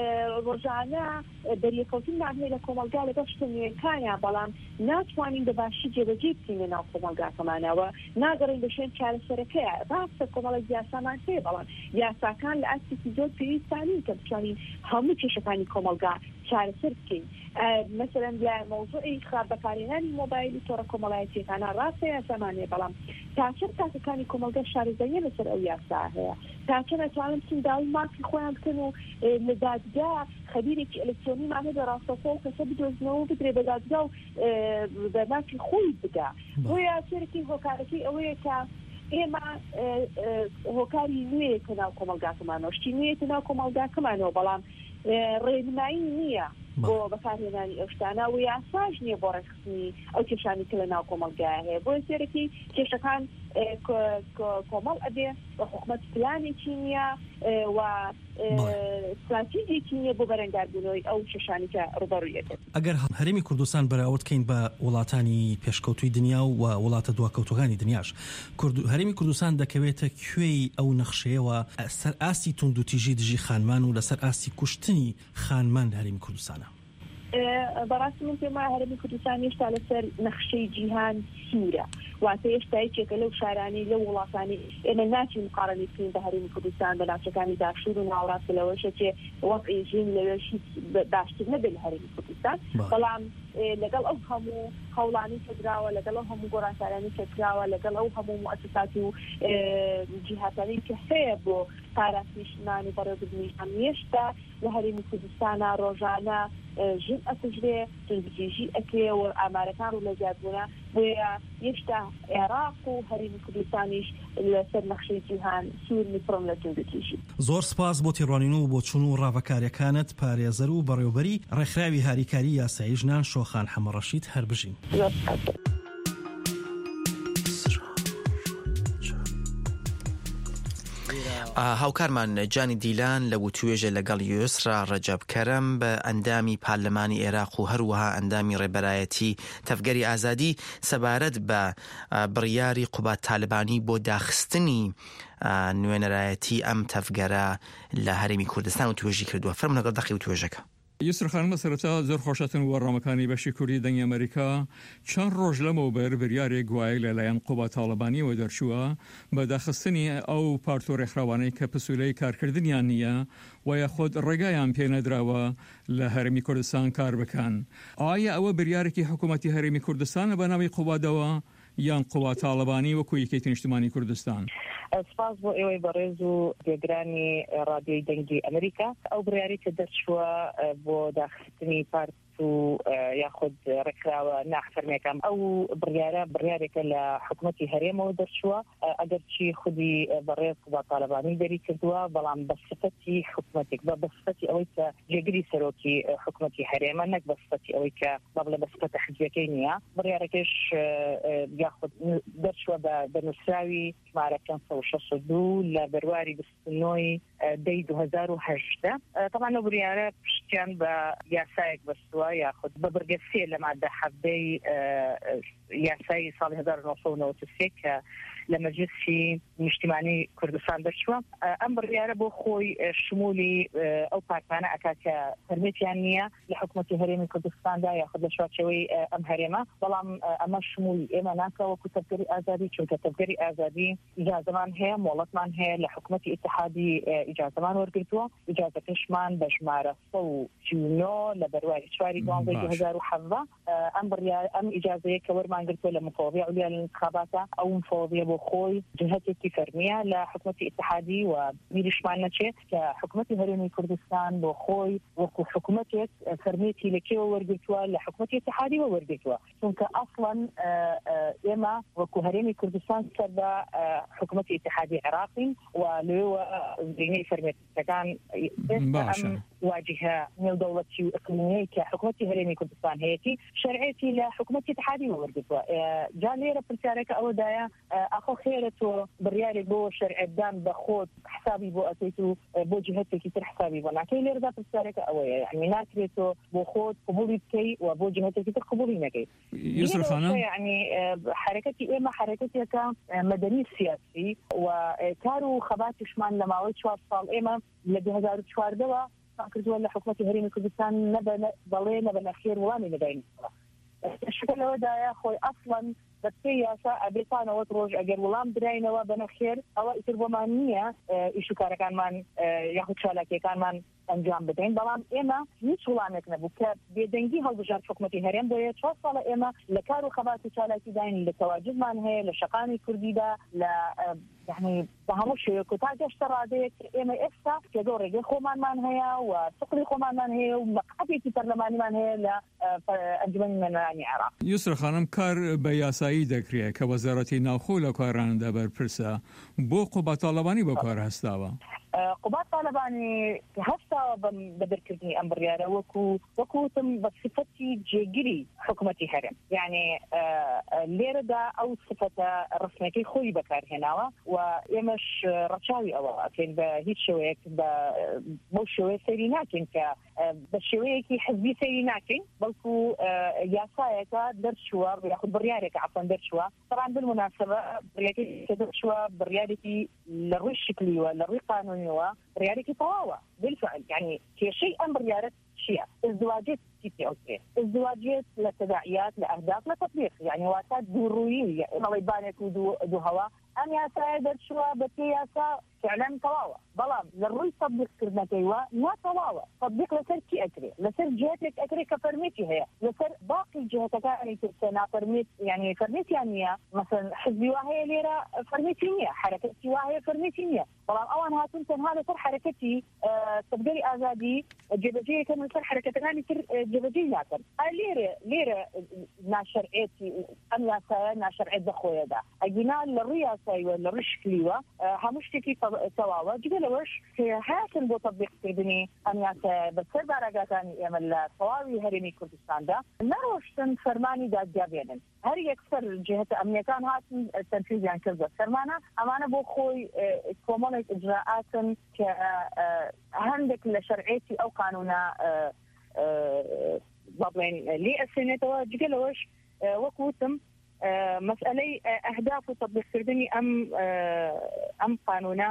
ڕۆژانە، ئە، دەریەکەوتنمان هەیە لە کۆمەلگا لەگەڵ شتە نوێکانیان، بەڵام ناتوانین بە باشی جێبەجێ بکەین لە ناو کۆمەلگاکەمانەوە، ناگەڕین بە شوێن چارەسەرەکەیە. ڕاستە کۆمەڵێک یاسامان هەیە، بەڵام یاساکان لە ئاستێکی زۆر پێویستانین کە بتوانین هەموو کێشەکانی کۆمەلگا چارەسەر بکەین. ئە، مەسەلەن لە مەوزوعی خراپ بەکارهێنانی مۆبایل و تۆڕە کۆمەڵایەتیەکانە ڕاستە یاسامان هەیە، بەڵام تا چەند تاکەکانی کۆمەڵگە شارەزاییە لەسەر ئەو یاسا هەیە؟ تا چەند ئەتوانن بچن داوی مافی خۆیان بکەن و، ئێ، لە دادگا خەبیرێکی ئەلکترۆنیمان هەبێ ڕاستەوخۆ ئەو کەسە بدۆزنەوە و بدرێ بە دادگا و، ئێ، بە مافی خۆی بدا. بەڵێ. بۆیە سەرەکی هۆکارەکەی ئەوەیە کە ئێمە، ئێ، ئێ، هۆکاری نوێیەکە ناو کۆمەلگاکەمانەوە، شتی نوێیەکە ناو کۆمەلگاکەمانەوە، بەڵام، ئێ، ڕێنمایی نییە بۆ بەڵێ. بەکارهێنانی ئەو شتانە و یاساش نییە بۆ ڕێکخستنی ئەو کێشانی کە لە ناو کۆمەلگایە هەیە. بۆیە سەرەکی کێشەکان، ئێ، کۆ-، کۆ-، کۆمەڵ ئەبێ و حکومەت پلانێکی نییە، ئێ، و، ئێ، بەڵێ. استراتیژێکی نییە بۆ بەرەنگاربوونەوەی ئەو کێشانی کە ڕوبەڕووی ئەبێت. ئەگەر هە-، هەرێمی کوردستان بەراورد کەین بە وڵاتانی پێشکەوتووی دنیا و وڵاتە دواکەوتوەکانی دنیاش، کورد-، هەرێمی کوردستان دەکەوێتە کوێی ئەو نەخشەیەوە سەر ئاستی توندوتیژی دژی خانمان و لەسەر ئاستی کوشتنی خانمان لە هەرێمی کوردستانە؟ ئێ، بەڕاستی من پێم وایە هەرێمی کوردستان هێشتا لەسەر نەخشەی جیهان سوورە، واتە هێشتا یەکێکە لەو شارانەی، لەو وڵاتانەی ئێمە ناچین مقارنەی بکەین بە هەرێمی کوردستان، بە ناوچەکانی باشوور و ناوەڕاست، لەوەشە چێ وەزعی ژین لەوێش هیچ ب-، باشتر نەبێت لە هەرێمی کوردستان. بەڵێ. بەڵام، ئێ، لەگەڵ ئەو هەموو هەوڵانەی کە دراوە، لەگەڵ ئەو هەموو گۆڕانکارانەی کە کراوە، لەگەڵ ئەو هەموو موئەسسات و، ئێ، جیهاتانەی کە هەیە بۆ پاراستنی ژنان و بەڕێوەبردنی ژنان، هێشتا لە هەرێمی کوردستانە ڕۆژانە، ئێ، ژن ئەکوژرێ، توندوتیژی ئەکرێ و ئامارەکان ڕوو لە زیادبوونە. بۆیە هێشتا عێراق و هەرێمی کوردستانیش لەسەر نەخشەی جیهان سوور نیپڕن لە توندوتیژی. زۆر سپاس بۆ تێڕوانین و بۆچوون و ڕاڤەکاریەکانت، پارێزەر و بەڕێوەبەری ڕێکخراوی هاریکاری یاسایی ژنان شۆخان حەمە ڕەشید. هەر بژین. زۆر سپاس. ئا، هاوکارمان جانی دیلان لە وتوێژە لەگەڵ یوسرا ڕەجەب کەرەم بە ئەندامی پارلمانی عێراق و هەروەها ئەندامی ڕێبەرایەتی تەڤگەری ئازادی سەبارەت بە، ئا، بڕیاری قوباد تالبانی بۆ داخستنی، ئا، نوێنەرایەتی ئەم تەڤگەرە لە هەرێمی کوردستان وتوێژی کردووە. فەرموو لەگەڵ دەقی وتوێژەکە. یوسف خانم، سەرەتا زۆر خۆشەتن و ڕامەکانی بەشی کوردی دەنگی ئەمریکا. چەند ڕۆژ لەمەوبەر بریارێک گوایە لەلایەن قوباد تاڵەبانیەوە دەرچووە بە داخستنی ئەو پارت و ڕێکخراوانەی کە پسوولەی کارکردنیان نییە و یاخود ڕێگایان پێ نەدراوە لە هەرێمی کوردستان کار بکەن. ئایا ئەوە بریارێکی حکوومەتی هەرێمی کوردستانە بە ناوی قوبادەوە یان قوباد تاڵەبانی وەکو یەکێتی نیشتمانی کوردستان؟ سپاس بۆ ئێوەی بەڕێز و گوێگرانی ڕادیۆی دەنگی ئەمریکا. ئەو بڕیاری کە دەرچووە، ئە، بۆ داخستنی پارت و، ئە، یاخود ڕێکخراوە ناحفەرمێکان، ئەو بڕیارە، بڕیارێکە لە حکوومەتی هەرێمەوە دەرچووە. ئە، ئەگەرچی خودی، ئە، بەڕێز قوباد تاڵەبانی دەری کردووە، بەڵام بە سفەتی حکوومەتێک، بە، بە سفەتی ئەوەی کە جێگری سەرۆکی، ئە، حکوومەتی هەرێمە، نەک بە سفەتی ئەوەی کە، با بڵێ، بە سفەتە حزبەکەی نییە. بڕیارەکەش، ئە، ئە، یاخود ن-، دەرچووە بە، بە نووسراوی ژمارە پێنج سەد و شەست و دوو لە بەرواری بیست و نۆی، ئە، دەی دوو هەزار و هەژدە. ئە، تەبعەن ئەو بریارە پشتیان بە یاسایەک بەستووە، یاخود بە بڕگە سێ لە مادە حەڤدەی، ئە، ئە، یاسای ساڵی هەزار و نۆ سەد و نەوەد و سێ کە لە مەجلیسی نیشتیمانی کوردستان دەرچووە. ئەم بڕیارە بۆ خۆی شمولی ئەو پارتانە ئەکا کە پەرمیتیان نییە لە حکومەتی هەرێمی کوردستاندا یاخود لە چوارچێوەی ئەم هەرێمە. بەڵام ئەمە شمولی ئێمە ناکە وەکو تەڤگەری ئازادی، چونکە تەڤگەری ئازادی ئیجازەمان هەیە، مۆڵەتمان هەیە، لە حکومەتی ئیتحادی ئیجازەمان وەرگرتووە. ئیجازەکەشمان بە ژمارە سەد و سی و نۆ لە بەرواری چواری دوانزەی دوو هەزار و حەڤدە. ئەم بڕیار، ئەم ئیجازەیە کە وەرمان گرتووە لە مفوضیە علیا لە انتخاباتە، ئەو مفوضیە بۆ خۆی جهتێکی فەرمیە لە حکومەتی ئیتحادی و بیریشمان نەچێت کە حکومەتی هەرێمی کوردستان بۆ خۆی وەکو حکومەتێک فەرمیەتی لە کێوە وەرگرتووە، لە حکومەتی ئیتحادی وە وەرگرتووە. چونکە ئەسڵەن ئێمە وەکو هەرێمی کوردستان سەر بە حکومەتی ئیتحادی عێراقین و لێوە زرینەی فەرمیەتەکان ئێستا ئەم واجهە نێودەوڵەتی و ئقلیمیەی کە حکومەتی هەرێمی کوردستان هەیەی شەرعێتی لە حکومەتی ئیتحادی وەرگرتووە. جا لێرە پرسیارەکە ئەوەدایە، ئاخۆ خێرە تۆ بڕیارێک بۆ شەرعێتدان بە خۆت حسابی بۆ ئەکەیت و بۆ جهتێکی تر حسابی بۆ ناکەی؟ لێرەدا پرسیارەکە ئەوەیە، یعنی ناکرێت تۆ بۆ خۆت قبولی بکەی و بۆ جهتێکی تر قبولی نەکەی. یوسف خانم، یعنی حرەکەتی ئێمە حرەکەتێکە مەدەنی سیاسی و کار و خەباتیشمان لە ماوەی چوار ساڵ ئێمە لە دوو هەزار و چواردەوە کردووە لە حکومەتی هەرێمی کوردستان، نەبە بەڵێ نەبە نەخێر وڵامی نەداین. شکە لەوەدایە خۆی ئەسڵەن بە پێی یاسا ئەبێ تا نەوەد ڕۆژ ئەگەر وڵام دراینەوە بە نەخێر، ئەوە ئیتر بۆمان نییە ئیش و کارەکانمان یاخود چالاکیەکانمان ئەنجام بدەین. بەڵام ئێمە هیچ وڵامێک نەبوو کە بێدەنگی هەڵبژارد حکومەتی هەرێم. بۆیە چوار ساڵە ئێمە لە کار و خەبات و چالاکی داین، لە تەواجدمان هەیە لە شەقامی کوردیدا، لە یعنی بە هەموو شێوەیەک و تا گەشتە ڕادەیەک ئێمە ئێستا پێگە و ڕێگەی خۆمانمان هەیە و سقلی خۆمانمان هەیە و مەقعدێکی پەرلەمانیمان هەیە لە ئەنجومەنی نوێنەرانی عێراق. یوسف خانم، کار بە یاسایی دەکرێت کە وەزارەتی ناوخۆ لە کاراندا بەرپرسە. بۆ قوباد تاڵەبانی بە کار هەستاوە؟ قوباد تاڵەبانی هەستاوە بە دەرکردنی ئەم بڕیارە وەکو، وەکو وتم، بە سفەتی جێگری حکومەتی هەرێم. یعنی لێرەدا ئەو سفەتە ڕسمەکەی خۆی بەکارهێناوە و ئێمەش ڕەچاوی ئەوە ئەکەین. بە هیچ شێوەیەک بە بەو شێوەیە سەیری ناکەین کە بە شێوەیەکی حزبی سەیری ناکەین، بەڵکو یاسایەکە دەرچووە یاخود بڕیارێکە عفوەن دەرچووە. طبعا بالمناسبە بڕیارێکی کە دەرچووە بڕیارێکی لە ڕووی شکلیوە، لە ڕووی قانونیەوە بڕیارێکی تەواوە. بالفعل یعنی کێشەی ئەم بڕیارە چییە؟ ازدواجێت چی پێ ئەوترێ؟ ازدواجێت لە تەداعیات، لە ئەهداف، لە تەطبیق، یعنی واتە دوو ڕوویی، ئەڵێ بانێک و دوو، دوو هەوا. ئەم یاسایە دەرچووە بە پێی یاسا فعلا تەواوە، بەڵام لە ڕووی تەطبیق کردنەکەیوە ناتەواوە. تەطبیق لەسەر کی ئەکرێ؟ لەسەر جهتێک ئەکرێ کە فەرمیەتی هەیە، لەسەر باقی جهتەکانی تر کە نافەرمیەت، یعنی فەرمیەتیان نییە. مەسەن حزبی وا هەیە لێرە فەرمیەتی نییە، حرەکەتی وا هەیە فەرمیەتی نییە، بەڵام ئەوان هاتون تەنها لەسەر حرەکەتی تەڤگەری ئازادی جێبەجێ یەکەم لەسەر حرەکەتەکانی تر جێبەجێ ناکەن. ئا لێرە، لێرە ناشەرعێتی ئەم یاسایە ناشەرعێت بە خۆیەدا. ئەگینا لە ڕووی یاساییوە، لە ڕووی شکلیوە هەموو شتێکی تەواوە. جگە لەوەش کە هاتن بۆ تەطبیقکردنی ئەم یاسایە بەسەر باراگاکانی ئێمە لە تەواوی هەرێمی کوردستاندا نەڕۆشتن فەرمانی دادگا بێنن. هەر یەکسەر جهتە ئەمنیەکان هاتن تەنفیزیان کرد بە سەرمانە. ئەمانە بۆ خۆی کۆمەڵێک ئجراعاتن کە هەندێک لە شەرعێتی ئەو قانونە با بڵێن لێ ئەسێنێتەوە. جگە لەوەش وەکو وتم مەسئلەی ئەهداف و تەطبیقکردنی ئەم ئەم قانونە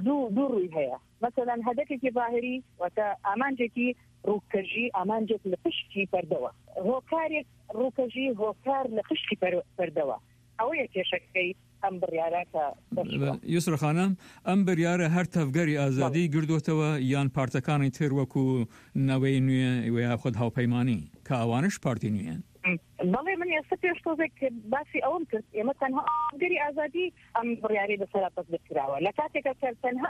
دوو دوو ڕووی هەیە. مەسەلەن هەدەفێکی ظاهری، واتە ئامانجێکی ڕووکەژی، ئامانجێک لە پشتی پەردەوە. هۆکارێک ڕووکەژی، هۆکار لە پشتی پەر- پەردەوە. ئەوەیە کێشەکەی ئەم بڕیارە کە دەرچووە. یوسف خانم، ئەم بڕیارە هەر تەڤگەری ئازادی گردوتەوە یان پارتەکانی تر وەکو نەوەی نوێ و یاخود هاوپەیمانی کە ئەوانش پارتی نوێن؟ بەڵێ، من ئێستا پێش تۆزێک باسی ئەوم کرد، ئێمە تەنها تەڤگەری ئازادی ئەم بڕیارەی بەسەرا تەطبیق کراوە. لە کاتێکا کە تەنها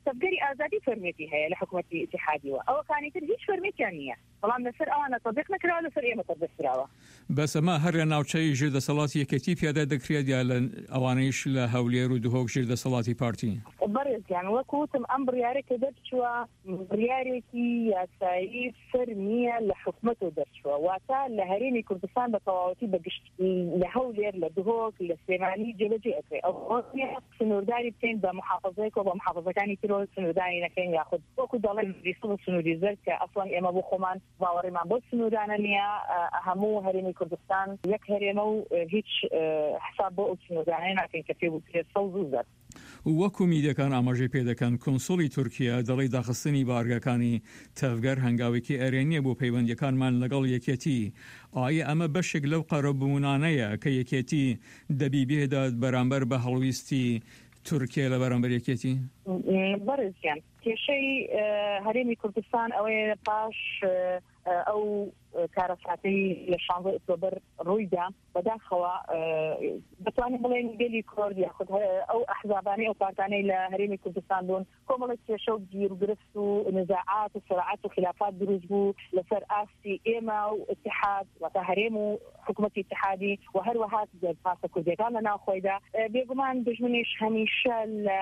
تەڤگەری ئازادی فەرمیەتی هەیە لە حکومەتی ئیتیحادیوە، ئەوەکانی تر هیچ فەرمیەتیان نییە. بەڵام لەسەر ئەوانە تەطبیق نەکراوە، لەسەر ئێمە تەطبیق کراوە. بەس ئەمە هەر لە ناوچەی ژێردەسەڵاتی یەکێتی پیادە دەکرێت یا لە ئەوانەیش لە هەولێر و دهۆک ژێردەسەڵاتی پارتی؟ بەڕێزیان، وەکو وتم، ئەم بڕیارە کە دەرچووە بڕیارێکی یاسایی فەرمیە لە حکومەتەوە دەرچووە، واتە لە هەرێمی کوردستان بە تەواوەتی بە گشت لە هەولێر، لە دهۆک، لە سلێمانی جێبەجێ ئەکرێ. ئەو نیە سنوورداری بکەین بە محافظەیەکەوە، بە محافظەکانی ترەوە سنوورداری نەکەین، یاخود وەکو دەڵێن سنووری سەوز و سنووری زەرد کە ئەسڵەن ئێمە بۆ خۆمان باوەڕیمان بۆ سنوورانە نییە. هەموو هەرێمی کوردستان یەک هەرێمە و هیچ حساب بۆ ئەو چنۆدانەیە ناکەین کە پێ بوو پێ سەوز و زەرد. وەکو میدیەکان ئاماژەی پێدەکەن، کونسوڵی تورکیا دەڵی داخستنی بارگەکانی تەڤگەر هەنگاوێکی ئەرێنیە بۆ پەیوەندیەکانمان لەگەڵ یەکێتی. ئایا ئەمە بەشێک لەو قەرەبوونانەیە کە یەکێتی دەبی بێدات بەرامبەر بە هەڵویستی تورکیا لە بەرامبەر یەکێتی؟ بەڕێزیان، کێشەی هەرێمی کوردستان ئەوەیە، پاش ئەو کارەساتەی لە شانزە ئۆکتۆبەر ڕوویدا، بەداخەوە دەتوانین بڵێن گەلی کورد یاخود ئەو ئەحزابانەی، ئەو پارتانەی لە هەرێمی کوردستان بوون، کۆمەڵێک کێشە و گیروگرفت و نزاعات و سراعات و خلافات دروست بوو لەسەر ئاستی ئێمە و اتحاد، واتە هەرێم و حکومەتی اتحادی و هەروەها پارتە کوردیەکان لە ناوخۆیدا. بێگومان دژمنیش هەمیشە لە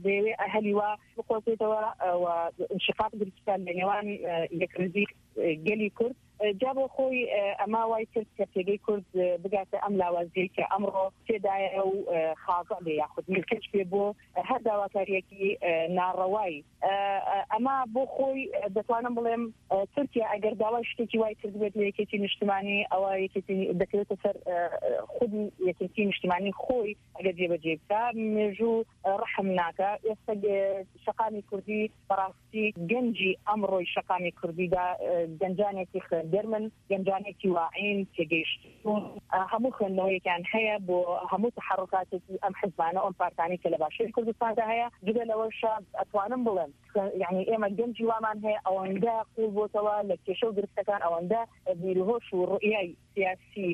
دەیەوێ ئەهەلی وا بقۆزێتەوە و انشقاق دروست بکات لە نێوان یەکڕزی گەلی کورد. جا بۆ خۆی ئەما وای کرد کە پێگەی کورد بگاتە ئەم لاوازیەی کە ئەمڕۆ تێدایە و خاڵ بێ یاخود ملکەچ بێ بۆ هەر داواکاریەکی ناڕەوایی. ئەما بۆ خۆی دەتوانم بڵێم تورکیا ئەگەر داوای شتێکی وای کرد بێت لە یەکێتی نیشتمانی، ئەوە یەکێتی دەکەوێتە سەر خودی یەکێتی نیشتمانی خۆی ئەگەر جێبەجێ بکە. مێژوو ڕەحم ناکە. ئێستا شەقامی کوردی بەڕاستی گەنجی ئەمڕۆی شەقامی کوردیدا گەنجانێکی خوێندەر من، گەنجانێکی واعین تێگەیشتون، هەموو خوێندنەوەیەکیان هەیە بۆ هەموو تحرکاتێکی ئەم حزبانە، ئەم پارتانی کە لە باشووری کوردستاندا هەیە. جگە لەوەشە ئەتوانم بڵێم، یعنی ئێمە گەنجی وامان هەیە ئەوەندە قوڵ بۆتەوە لە کێشە و گرفتەکان، ئەوەندە بیرهۆش و ڕوئیای سیاسی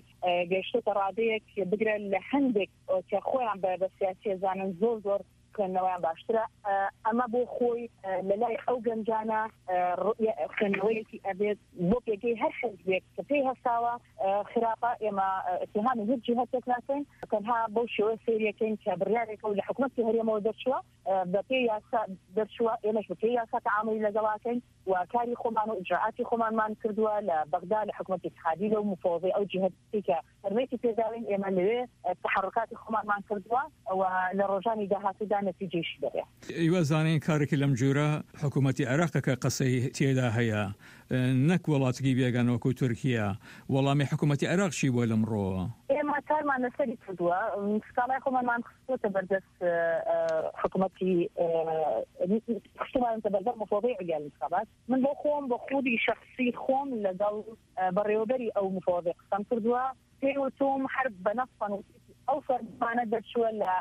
گەشتە ڕادەیەک بگرە لە هەندێک کە خۆیان بە بە سیاسی زانن زۆر زۆر خوێندنەوەیان باشترە. ئەمە بۆ خۆی لە لای ئەو گەنجانە خوێندنەوەیەکی ئەبێت بۆ پێگەی هەر حزبێک کە پێی هەستاوە خراپە. ئێمە اتهامی هیچ جیهەتێک ناکەین، تەنها بەو شێوە سێریەکەین کە بڕیارێکە و لە حکومەتی هەرێمەوە دەرچووە، بە پێی یاسا دەرچووە، ئێمەش بە پێی یاسا تەعاملی لەگەڵاکەین و کاری خۆمان و ئیجراعاتی خۆمانمان کردووە لە بەغدا، لە حکومەتی اتحادی، لەو مفۆزەی ئەو جیهەتی کە فەرمێکی پێداوین، ئێمە لەوێ تحرکاتی خۆمانمان کردووە و لە ڕۆژانی داهاتوودا نەتیجەیشی دەبێ. ئیوە زانین کارێکی لەم جوورە حکوومەتی عێراقە کە قەسەی تێدا هەیە، نەک وڵاتێکی بێگانە وەکو تورکیا. وەڵامی حکوومەتی عێراق چی بووە لەمڕۆوە؟ ئێمە کارمان لەسەری کردووە، سکاڵای خۆمانمان خستووەتە بەردەست حکوومەتی، خستومانتە بەردەست مفۆزەی علیان انتخابات. من بۆ خۆم، بە خودی شخصی خۆم لەگەڵ بەڕێوەبەری ئەو مفۆزەی قسەم کردووە، پێی وتوم هەر بە نەفسەن وتی ئەو فەرمانە دەرچووە لە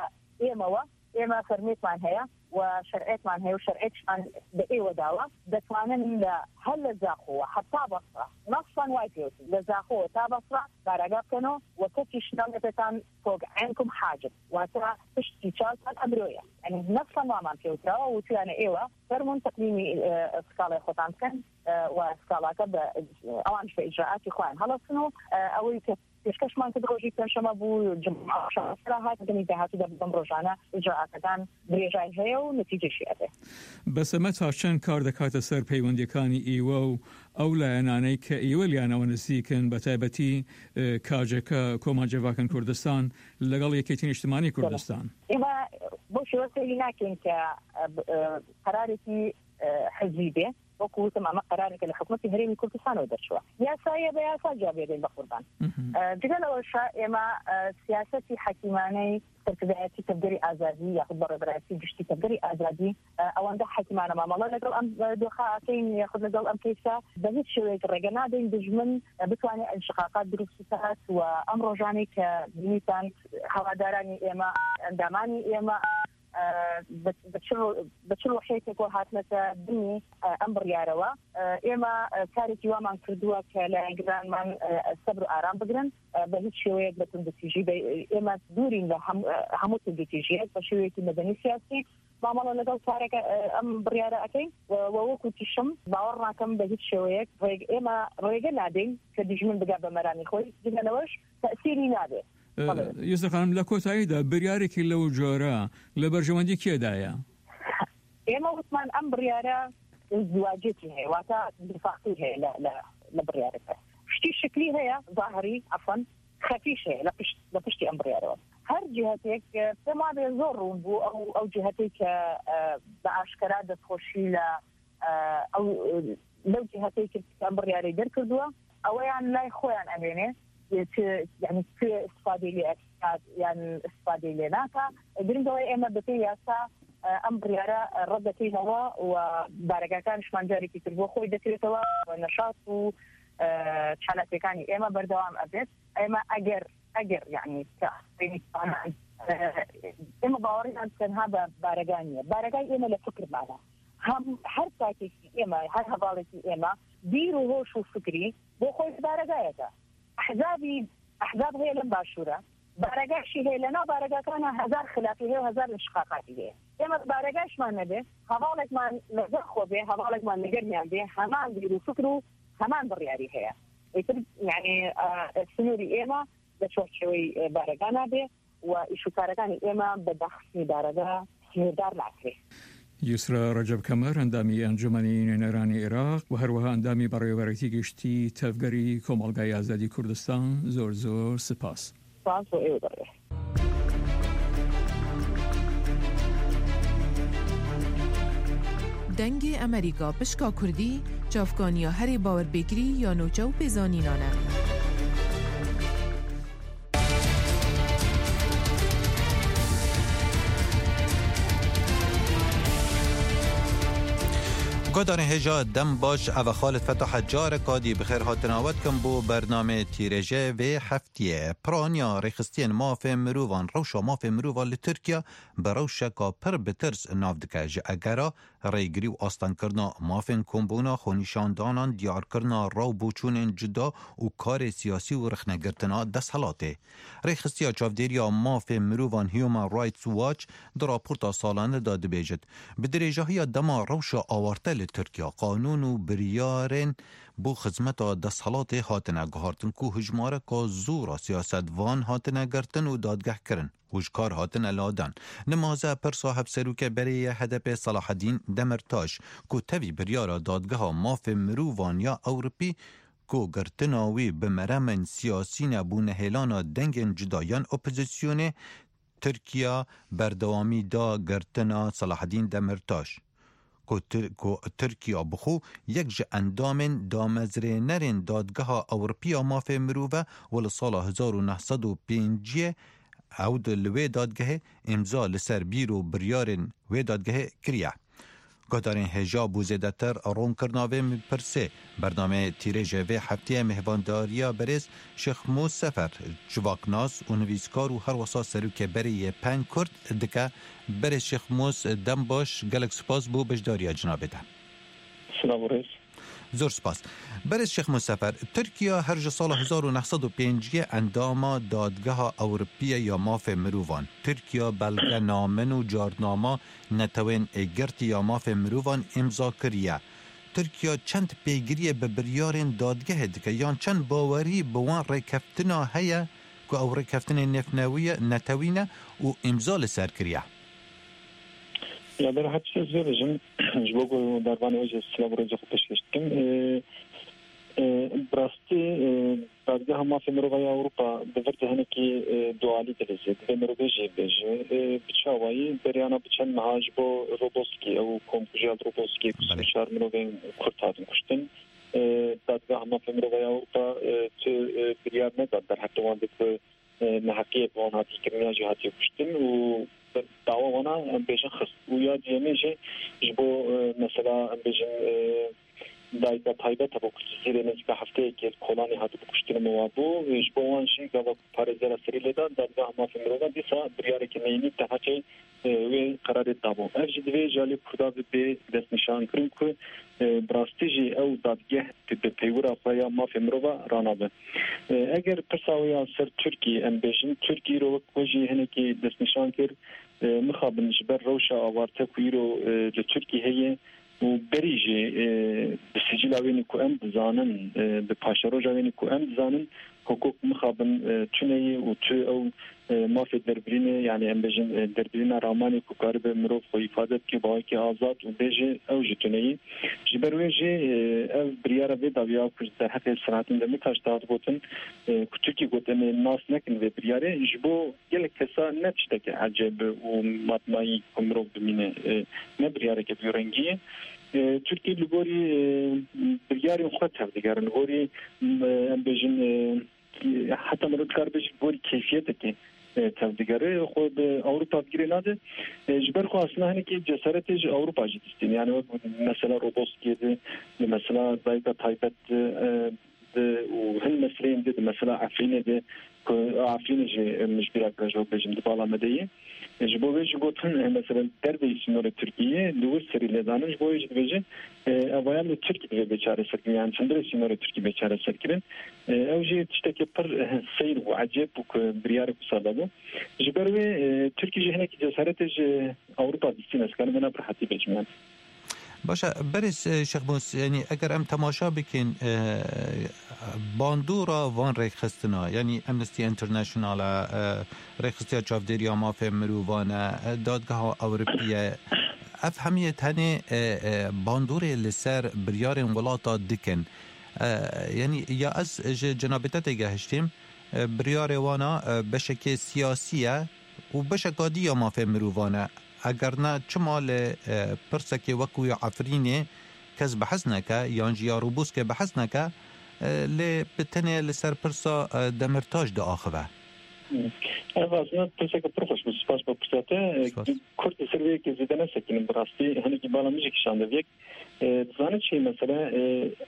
ئێمەوە، ئێمە فەرمێکمان هەیە و شەرعێکمان هەیە و شەرعێکشمان بە ئێوە داوە، دەتوانن لە هەر لە زاخۆوە هەتا بەسرە، نەفسەن وای پێوتن، لە زاخۆوە تا بەسرە بارەگا بکەنەوە و کەسیش ناوێتەکان فوق عینکم حاجب، واتە پشتی چاوتان ئەمرۆیە. یعنی نەفسەن وامان پێوتراوە، وتویانە ئێوە فەرمون تەقدیمی سکاڵای خۆتان بکەن و سکاڵاکە بە ئەوانش بە ئیجراعاتی خۆیان هەڵەسن و ئەوەی کە پێشکەشمان کرد ڕۆژی پێنجشەمە بوو، جمعە شەڕەسەرا هات، دەمی داهاتوودا بەم ڕۆژانە ئیجراعاتەکان درێژای هەیە و نەتیجەشی ئەبێ. بەسەمە تا چەند کار دەکاتە سەر پەیوەندیەکانی ئیوە و ئەو لایەنانەی کە ئیوە لیانەوە نزیکن، بە تایبەتی کاجەکە کۆمانجەڤاکن کوردستان لەگەڵ یەکێتی نیشتمانی کوردستان؟ ئێمە بۆ شێوە سەیری ناکەین کە قەرارێکی حزبی بێ. وەکو وتم، ئەمە قەرارێکە لە حکومەتی هەرێمی کوردستانەوە دەرچووە. یاسایە، بە یاسا جواب دێن بە قوربان. جگە لەوەشە ئێمە سیاسەتی حەکیمانەی سەرکردایەتی تەڤگەری ئازادی یاخود بەڕێوەبەرایەتی گشتی تەڤگەری ئازادی ئەوەندە حەکیمانە مامەڵە لەگەڵ ئەم دۆخە ئەکەین یاخود لەگەڵ ئەم کەیسە، بە هیچ شێوەیەک ڕێگە نادەین دژمن بتوانێت انشقاقات دروست بکات و ئەم ڕۆژانەی کە بینیتان هەوادارانی ئێمە، ئەندامانی ئێمە بە چ ڕۆ-، بە چ ڕۆحێکێکەوە هاتنەتە بنی ئەم بڕیارەوە. ئێمە کارێکی وامان کردووە کە لایەنگرانمان سەبر و ئارام بگرن، بە هیچ شێوەیەک بە توندوتیژی بە-، ئێمە دوورین لە هەم-، هەموو توندوتیژیەک، بە شێوەیەکی مەدەنی سیاسی مامەڵە لەگەڵ کارەکە، ئەم بڕیارە ئەکەین و، و وەکو تیشم باوەڕ ناکەم بە هیچ شێوەیەک ڕێگ-، ئێمە ڕێگە نادەین کە دژمن بگا بە مەرامی خۆی، جگە لەوەش تەسیری نابێت. بەڵێ. یوسف خانم، لە کۆتاییدا بریارێکی لەو جۆرە لە بەرژەوەندی کێدایە؟ ئێمە وتمان ئەم بڕیارە ازدواجێکی هەیە، واتە دوفاقی هەیە لە، لە، لە بڕیارەکە. شتی شکلی هەیە، ظاهری، عەفەن، خەفیش هەیە لە پشت، لە پشتی ئەم بڕیارەوە. هەر جهتێک، پێم وابێ زۆر ڕوون بوو، ئەو، ئەو جهتەی کە، بە ئاشکرا دەستخۆشی لە، ئەو، لەو جهتەی کرد کە ئەم بڕیارەی دەرکردووە، ئەوەیان لای خۆیان ئەمێنێ. e, çi, yani çi istifadê lê ekat, yan istifadê lê naka. Giring ew e, ême bi pê yasa, e, em biryara, e, red dikîneve û baragahekî ji me carekî tr bo xwe dekirêteve û neşat û, e, çalakiyekî ême berdewam ebêt. Ême eger, eger, yani, te, e, ême bawerî me tenha bi baregah niye. Baregah ême li fikir mane. Hem her takekî ême, her hevalekî ême, bîr û hoş û fikrî bo xwe ji baregahê de. Ehzabî, ehzab heye li başûr e. Baregah jî heye li nav baregahekana hezar xilafî heye û hezar înşiqaqatî heye. Ême baregah ji me nebe, hevalek me li gel xwe be, hevalek me li gel miyan be, heman bîr û fikr û heman biryarî heye. Êtir, yani, e, sinûrî ême di çarçeweyê, e, baregah nabe. و ئیشوکارەکانی ئێمە بە داخستنی بارەگا سنووردار ناکرێت. یوسرا ڕەجەب کەمەر، ئەندامی ئەنجومەنی نوێنەرانی عێراق و هەروەها ئەندامی بەڕێوەبەرێتی گشتی تەڤگەری کۆمەڵگای ئازادی کوردستان، زۆر زۆر سپاس. سپاس بۆ ئێوە بەڕێز. Dengê Emerîka pişka Kurdî, çavkaniya herê bawerpêkirî ya nûçe û pêzanînan e. Guhdarên hêja dem baş, ev e Xalid Fetah e, careka dî bi xêr hatina we dikim bo bernamê Tîrêjê vê heftiyê. Piraniya rêxistiyên mafê mirovan, rewşa mafê mirovan li Tirkiye bi rewşeka pir bi tirs nav dike. Ji egera rêgirî û astengkirina mafên kombûna, xwenîşandanan, diyarkirina raw boçûnên cuda û karê siyasî û rexnegirtina desthilatê. Rêxistiya çavdêriya mafê mirovan Human Rights Watch di raporta salane de dibêjit, bi dirêjahiya dema rewşa awarte li Tirkiye, qanûn û biryarên bo xizmeta desthilatê hatine guhartin ku hijmareka zor a siyasetvan hatine girtin û dadgehkirin û ji kar hatine ladan. Nimaze pirsa hevserokê berê yê H D P Selahedîn Demirtaş, ku tevî biryara Dadgeha Mafê Mirovan ya Ewropî, ku girtina wî bi meremên siyasî ne, bû nehêlana dengên cuda yan opozîsyonê, Tirkiya berdewamî da girtina Selahedîn Demirtaş. Ku Tir-, ku Tirkiya bi xwe yek ji endamên damezrênerên Dadgeha Ewropî ya Mafê Mirov e û li sala hezar û neh sed û pêncî ew di li wê dadgehê îmza li ser bîr û biryarên wê dadgehê kiriye. Guhdarên hêja bo zêdetir ronkirina vê pirsê, bernameyê Tîrêjê vê hefteyê mêhvandariya berêz Şêxmûs Sefer, civaknas û nivîskar û herwesa serokê berê yê Peng Kurd dike. Berêz Şêxmûs, dem baş, gelek spas bo beşdariya cinabê te. Silav û rêz. Zor spas. Berêz Şêxmûs Sefer, Tirkiye her ji sala hezar û neh sed û pêncî endama Dadgeha Ewropiye ya Mafê Mirovan. Tirkiye belgenamen û carnama Netewên Yekgirtî ya Mafê Mirovan îmza kiriye. Tirkiye çend pêgiriyê bi biryarên dadgehê dike, yan çend bawerî bi wan rêkeftina heye ku ew rêkeftinên nêvnetewî ne û îmza li ser kiriye? Ya, ber her tiştê ez vê bêjim, ji bo ku dervanê we jî silav û rêzê xwe pêşkêş dikim. Ê, ê, bi rastî, ê, Dadgeha Mafê Mirova ya Ewropa di vir de hinekî, ê, dualî dilîze. Divê mirovê jî bêje, ê, bi çawayî beriyana bi çend meha ji bo Roboski, ew komkujiya li Roboski ku Belê. sî û çar mirovên Kurd hatin kuştin. Ê, Dadgeha Mafê Mirova ya Ewropa, ê, tu, ê, biryar neda derheqê wan de ku e, neheqiyê bi wan hatiye kirin yan jî hatiye kuştin û dawa wana, em bêjin, xist. Û ya duyemê jî ji bo, e, mesela, em bêjin, e, dayika taybet hebû ku Cizîrê nêzîka hefteyekê li Kolanê hatibû kuştin û wa bû. E, ji bo wan jî gava ku parêzgera serî lê da, Dadgeha Mafê Mirovan dîsa biryareke neyînî deheqê, e, wê qerarê dabû. Ev jî divê ji alî Kurda bibe destnîşankirin ku, e, bi rastî jî ew dadgeh di, di peywira xwe ya mafê mirova ranabe. E, eger pirsa we ya ser Tirkî em bêjin, Tirkî îro wek we jî hinekî destnîşan kir, e, mixabin ji ber rewşa awarte ku îro, e, li Tirkî heye û berî jî, e, bi sicîla wênî ku em dizanin, e, bi paşeroja wênî ku em dizanin, hukuk mixabin, e, tune ye û tu ew, e, mafê derbirînê, yani em bêjin, e, derbirîna ramanê ku karibe mirov xwe îfade bike bi awekî azad û bêje, ew jî tune ye. Ji ber wê jî, e, ev biryara vê dawiya ku ji derheqê Selahattin Demirtaş de hat gotin, e, ku Tirkî got em ê nas nekin vê biryarê, ji bo gelek kesa ne tişteke ecêb û matmayî ku mirov bimîne, e, ne biryareke bi wî rengî ye. E, Tirkî li gorî, e, biryarên xwe tevdigerin, li gorî, e, em bêjin, e, heta mirov dikar bêje gorî keyfiyetekê e, tevdigere, xwe bi Ewropa bi girê nade. E, ji ber xwe aslında hinekî cesaretê ji Ewropa jî distîne. Yani wek mesela Roboskiyê de, di mesela dayika taybet de, e, de û hin meseleyên de, di mesela Efrînê de, ku Efrînê jî, e, min ji bîra kir, ji wek bêjim, di bala me de ye. E, ji bo vê jî gotin, e, mesela derveyî sînorê Tirkiyê li wir serî lêdanin, ji bo vê jî dibêje, e, evaya li Tirkî divê bê çareserkirin, yani çendire sînorê Tirkî bê çareserkirin. E, ew jî tiştekî pir, e, seyr bû, ecêb bû ku biryarek wisa dabû. Ji ber wê, e, Tirkî jî hinekî cesaretê ji Ewropa distîne, ez karim vena bi rehetî bêjim yani. Baş e, berêz, e, Şêxmûs, yanî eger em temaşa bikin, e, bandora van rêkxistina, yanî Amnesty International e, e, rêxistiya çavdêriya mafê mirovan e, e, Dadgeha Ewropî ye, ev hemiyê tenê, e, e, bandorê li ser biryarên welata dikin. E, yanî ya ez ji cenabê te têgehiştîm, e, biryarê wana, e, beşekê siyasî ye û beşeka dî ya mafê mirovan e. Eger ne, çima li, e, pirsekê wekû ya Efrînê kes behs neke, yan jî ya Roboskê behs neke, e, lê bi tenê li ser pirsa, e, Demirtaş diaxive? Ev aslında pirseke pir xweş bû. Spas bo pirsa te. Spas. Kurd li ser vê yekê zêde nesekinin bi rastî. Hinekî bala min jî kişande vê yek. E, dizane çi mesele, e,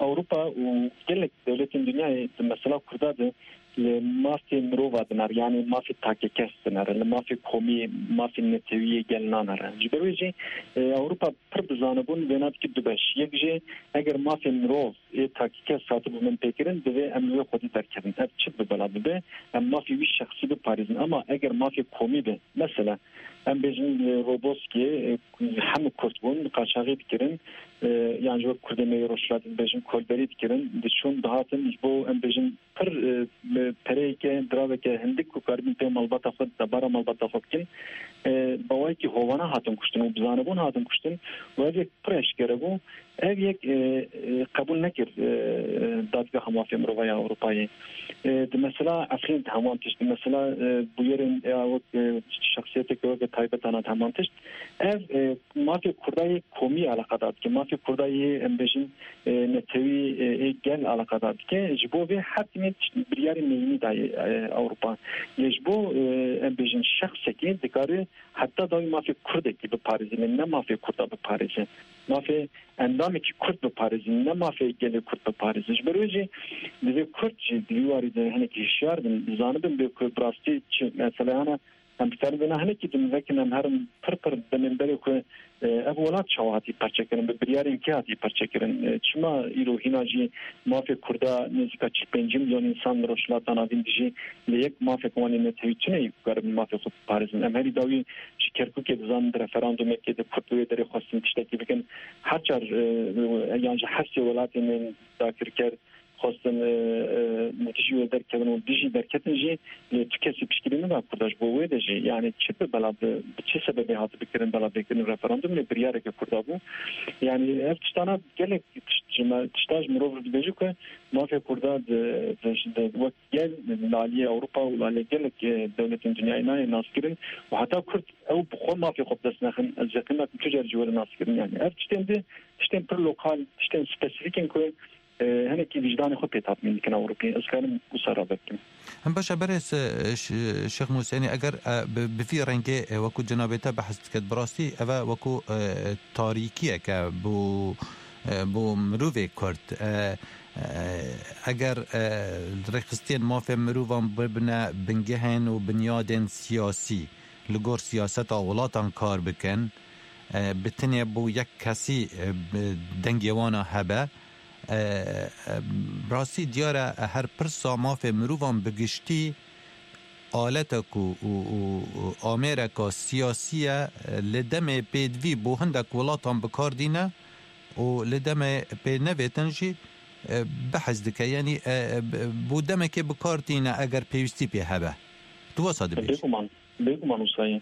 Ewropa û gelek dewletên dinyayê di mesela Kurda de li mafê mirova dinere, yani mafê takekes dinere, li mafê komî, mafê netewiyê gel nanere. Ji ber wê jî, e, Ewropa pir bi zanebûn vêna dike du beş. Yek jî eger mafê mirov ê takekes hatibû binpêkirin, divê em li wê xwedî derkevin. Ev çi bi bela bibe? Em mafê wî şexsî biparêzin. Ama eger mafê komî be, mesela, em bêjin, e, Roboskê, e, hemû Kurd bûn, qaçaxî dikirin, e, yan jî wek Kurdê me yê Rojhilatê dibêjin, kolberî dikirin, diçûn, dihatin, ji bo, em bêjin, pir, e, pereyeke, diraveke hindik ku karibin pê malbata xwe, debara malbata xwe bikin, e, bi awayekî hovana hatin kuştin û bi zanebûn hatin kuştin û ev yek pir eşkere bû. Ev yek, e, e, qebûl nekir, e, e, Dadgeha Mafê Mirova ya Ewropayê. E, di mesela Efrîn de heman tişt, di mesela, e, bûyerên, e, wek, e, şexsiyeteke weke taybet ana de heman tişt. Ev, e, mafê Kurda yê komî eleqedar dike, mafê Kurda yê, em bêjin, e, netewî, e, ê gel eleqedar dike. Ji bo vê her timê tişt, biryarê neyînî dayê, e, Ewropa. Lê ji bo, e, em bêjin şexsekî dikare heta dawî mafê Kurdekî biparêze, ne mafê Kurda biparêze. Mafê endamekî Kurd biparêzin, ne mafê gelê Kurd biparêzin. Ji ber wê jî divê Kurd jî di vî warî de hinekî hişyar bin, zanibin bê ku bi rastî çi mesele hene. Em dikarin vêna hinekî din vekin, em herin pir pir demên berê ku, e, ev welat çawa hatî parçekirin, bi biryarên kê hatî parçekirin? E, çima îro hîna jî mafê Kurda nêzîka çil pêncî milyon însan li Rojhilata Navîn dijî, lê yek mafek wan ê netewî tune yî ku karibin mafê xwe biparêzin? Em herî dawî ji Kerkûkê dizanin, di referandumekê de Kurd li wê derê xwestin tiştekî bikin. Her çar, e, yan ji her sê welatên dagirker xwestin, e, e, li dijî wê derkevin û dijî derketin jî, lê tu kesî piştgirî neda Kurda ji bo wê de jî. Yani çi bi bela bi, bi çi sebebê hatibi kirin bela bêkirin referandum, lê biryareke Kurda bû. Yani ev tiştana gelek tişt ji me, tişta ji mirov re dibêje ku mafê Kurda di, di, di, wek gel li aliyê Ewropa û li aliyê gelek, e, dewletên dinyayê nayê naskirin û heta Kurd ew bi xwe mafê xwe bi dest nexin, ez yeqîn nakim tu car jî were naskirin. Yani ev tiştên di, tiştên pir lokal, tiştên spesîfîk in ku, e, hinekî wijdanê xwe pê tatmîn dikin Ewropî. Ez karim wisa rabe bikim. Hem baş e, berêz, e, Ş-, Şêx Mûsenî, eger, e, bi, bi vî rengê, e, wekû cenabê te behs diket, bi rastî ev e wekû, e, tarîkiyek e bo, e, bo mirovê Kurd. E, e, eger, e, rêxistiyên mafê mirovan bibine bingehên û binyadên siyasî, li gor siyaseta welatan kar bikin, e, bi tinê bo yek kesî, e, bi dengê wana hebe, e, e, rastî diyar e, her pirsa mafê mirovan bi giştî aletek û, û, û, û amêreka siyasî ye, e, li demê pêdivî bo hindek welatan bi kar dîne û li demê pê nevêtin jî, e, behs dike. Yanî, e, e, bo demekê bi kar tîne eger pêwîstî pê hebe. Tu wesa dibêjî? Bêguman, bêguman wisa ye.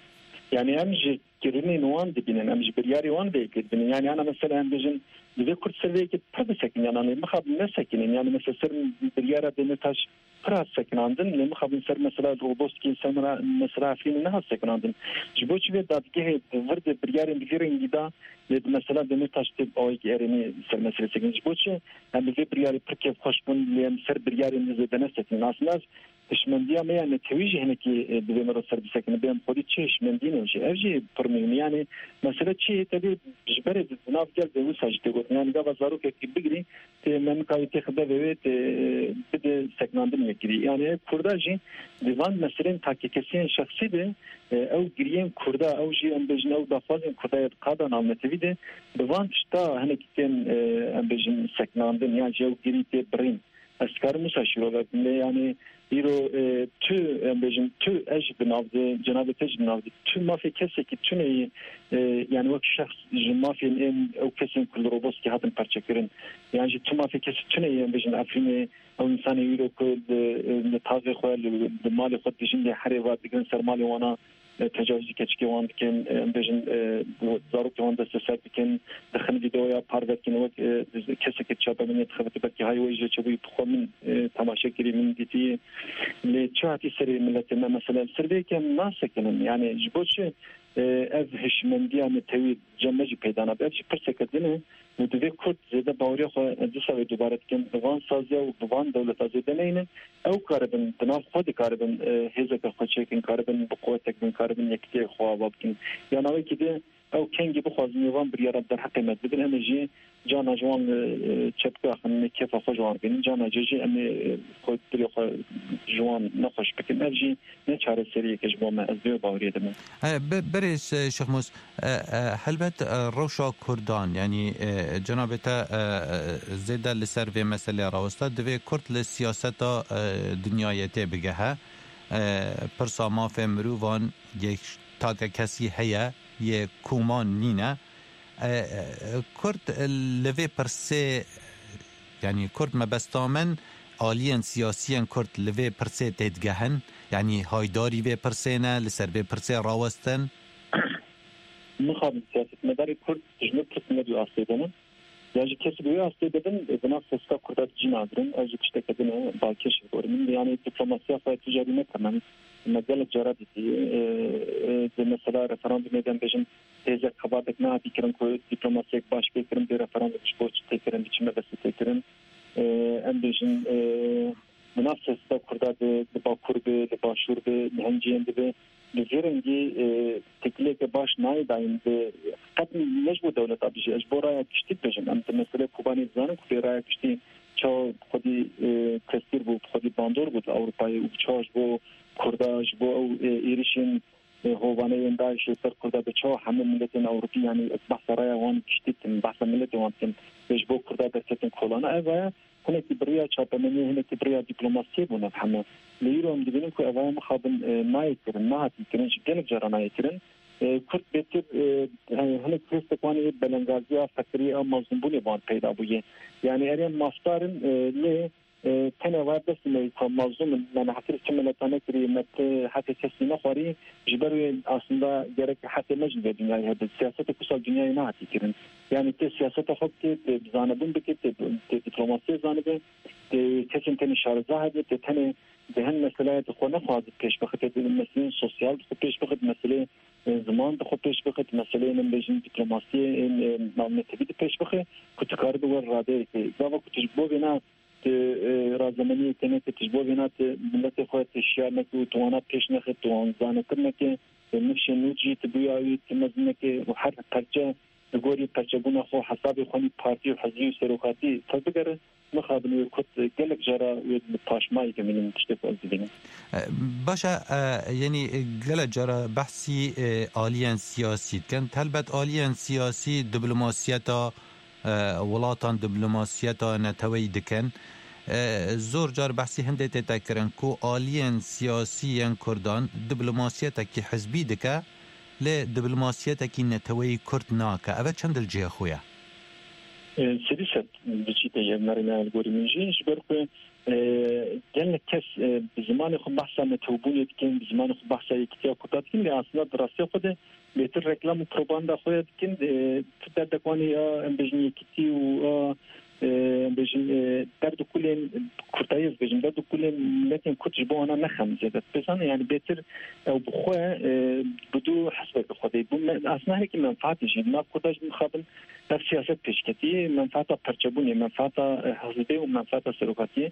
Yani em ji kirinên wan dibînin, em ji biryarê wan vê yekê dibînin. Yani ana mesela em bêjin, divê Kurd ser vê yekê pir bisekinin, yani mixabin nesekinin. Yani mesela ser biryara Demirtaş pir hat sekinandin, lê mixabin ser mesela Roboskî, ser mera-, mesela Efrînê nehat sekinandin. Ji bo çi vê dadgehê di vir de biryarên bi vî rengî da, lê di mesela Demirtaş tê awayekî erênî ser meselê sekin. Ji bo çi em bi vê biryarê pir kêfxweş bûn, lê em ser biryarên din zêde nesekinin? Aslında hişmendiya me ya netewî jî hinekî, e, divê me re ser bisekine. Bê em xwedî çi hişmendî ne jî. Ev jî pir muhîm e. Yani mesele çi ye? Tevî ji berê di nav gel de wisa jî tê gotin. Yani gava zarokekî bigirî, tê me nikayê têxe devê wê, tê bide sekinandin yekirî. Yani ev Kurda jî di van meselên takekesiyên şexsî de, e, ew giriyên Kurda, ew jî em bêjin ew daxwazên Kurda ya di qada navnetewî de, bi van tişta hinekî tên, e, em bêjin sekinandin, yan jî ew girî tê birîn. Ez dikarim wisa şîrove bikim. Lê yani îro, e, tu, em bêjin, tu ez jî di nav de, cenabê te jî di nav de, tu mafê kesekî tune yî, e, yani wek şexs ji mafên ên ew kesên ku li Roboskî hatin perçekirin. Yan jî tu mafê kesî tune yî, em bêjin, Efrînê, ew însanê îro ku li, li tavê xwe, li, li malê xwe dijîn lê herê va digirin ser malê wana, e, tecawizî keçikê wan dikin, e, em bêjin, e, zarokê wan desteser dikin, dixin vîdeoya parve dikin, wek, e, kesekî çapemeniyê dixebite, belkî hay wê jê çêbûyî, bi xwe min, e, temaşe kirî, min dîtî. Lê çi hatî serê miletê me, mesela, li ser vê yekê em nasekinin. Yani ji bo çi, e, ev hişmendiya netewî cem me jî peyda nabe? Ev jî pirseke din e. Û divê Kurd zêde baweriya xwe, ez dîsa wê dubare dikim, bi van saziya û bi van dewleta zêde neyne. Ew karibin, di nav xwe dikaribin, e, hêzeke xwe çêkin, karibin bi quwetek bin, karibin yekitiyê xwe ava bikin. Ya navekî de ew kengî bixwazin, ê van biryara derheqê me dibin, em ê jî cana ji wan, e, çepika xin, kêfa xwe ji wan bînin, cana cê jî em ê, e, xwe, dilê xwe ji wan nexweş bikin. Ev jî ne çareseriyeke ji bo me, ez vê baweriyê de me. E, bi-, birêz, e, Şêxmûs, e, e, helbet, e, rewşa Kurdan, yanî, e, cenabê te, e, e, zêde li ser vê meselê rawesta, divê Kurd li siyaseta, e, dinyayê tê bigehe. E, pirsa mafê mirovan yek take kesî heye, yê koman nîne. E, e, Kurd li vê pirsê, yanî Kurd mebesta min, aliyên siyasiyên Kurd li vê pirsê têdigehin, yanî haydarî vê pirsê ne, li ser vê pirsê rawestin? Mixabin siyasetmedarê Kurd ji vê pirsê ne di astê de ne. Ya jî kesî bi wê astê de bin, di nav siyaseta Kurda de cî nagirin. Ev jî tişteke din e, balkêş ji gorî min. Yanî diplomasiya xwe tu carî ne temam. Me gelek cara dîtî. E, e, di mesela referandumê de em bêjin, têzek xebatek nehatî kirin ku diplomasiyek baş pê kirin bê referandum ji bo çi tê kirin, bi çi mebestî tê kirin. E, em bêjin, e, di nav siyaseta Kurda de, di Bakur be, di Başûr be, di hin cihên de be, bi vê rengî, e, têkiliyeke baş nayê dayîn. Bi qet ne ji bo dewleta bijî, ez ji bo raya giştî dibêjim. Em di meselê Kobanê dizanin ku bê raya giştî çawa bi xwedî, e, tesîr bû, bi xwedî bandor bû di Ewropayê û çawa ji bo Kurda, ji bo ew, e, êrişên e, hovaneyên DAIŞê ser Kurda be, çawa hemû miletên Ewropî, yanî ez behsa raya wan giştî dikim, behsa miletê wan dikim, lê ji bo Kurda derketin kolana. Ev aya hinekî bi riya çapemeniyê, hinekî bi riya dîplomasiyê bûn ev hemû. Lê îro em dibînin ku ev aya mixabin, e, nayê kirin, nehatî kirin, ji gelek cara nayê kirin. E, Kurd bêtir, e, he-, hinek hêstek wan ê belengaziya, feqiriyê, ew mazlûmbûnê bi wan peyda bûye. Yanî erê em mafdar in, e, lê E, tenê va destê me ku mezlûm in, me nehetirî çi mileta nekirî, me ti heqê kesî nexwarî, ji ber wê aslında gerek heqê me jî vê dinyayê hebe. Siyasetek wisa dinyayê nehatî kirin. Yanî tê siyaseta xwe bike, tê zanebûn bike, tê, tê diplomasiyê zanibe, tê kesên tenê şareza hebe, tê tenê di hin meselaya di xwe nexwaze pêş bixe, tê di meseleyên sosyal di xwe pêş bixe, di meseleyê, e, ziman di xwe pêş bixe, di meseleyên em bêjin diplomasiyê, e, navnetewî di pêş bixe, ku tu karibe wer radeyekê. Gava ku tu ji bo vêna tu, e, razemeniyê tenê, tu ji bo vêna tu miletê xwe tu şiyar neke û tu wana pêş nexe, tu wan zanetir neke, tu nifşên nû jî tu bûya wî tu mezin neke û her perçe li gorî perçebûna xwe hesabê xwe nî partî û hizbî û serokatî xwe bigere, mixabin wê Kurd gelek cara wê li paşmayê dimînin tiştê ku ez dibînim. E, baş e, e, yanî gelek cara behsî, e, aliyên siyasî dikin. Helbet aliyên siyasî diplomasiyeta e, welatan diplomasiyeta neteweyî dikin. E, zor car behsî hindê tête kirin ku aliyên siyasî yên Kurdan diplomasiyetekî hizbî dike, lê diplomasiyetekî neteweyî Kurd nake. Ev e çend li cihê xwe ye? E, Sedî sed diçîte ye merîna li gorî min jî, ji ber ku, e, gelek kes, e, bi zimanê xwe behsa netewbûnê dikin, bi zimanê xwe behsa yekîtiya Kurda dikin, lê aslında di rastiya xwe de bêtir reklam û propaganda xwe ya dikin, e, tu derdek wan ê ya, em bêjin, yekîtî û a, e, em bêjin, e, derd û kulên Kurtayê, ez bêjim, derd û kulên miletên Kurd ji bo wana ne xem zêde. Pêsan, yani bêtir ew bi xwe, e, bi dû hizbeke xwe de bû. Me, aslında hinekî menfaatê jî, nav Kurda jî mixabin ev siyaset pêşketî, menfaata perçebûnê, menfaata, e, hizbê û menfaata serokatiyê.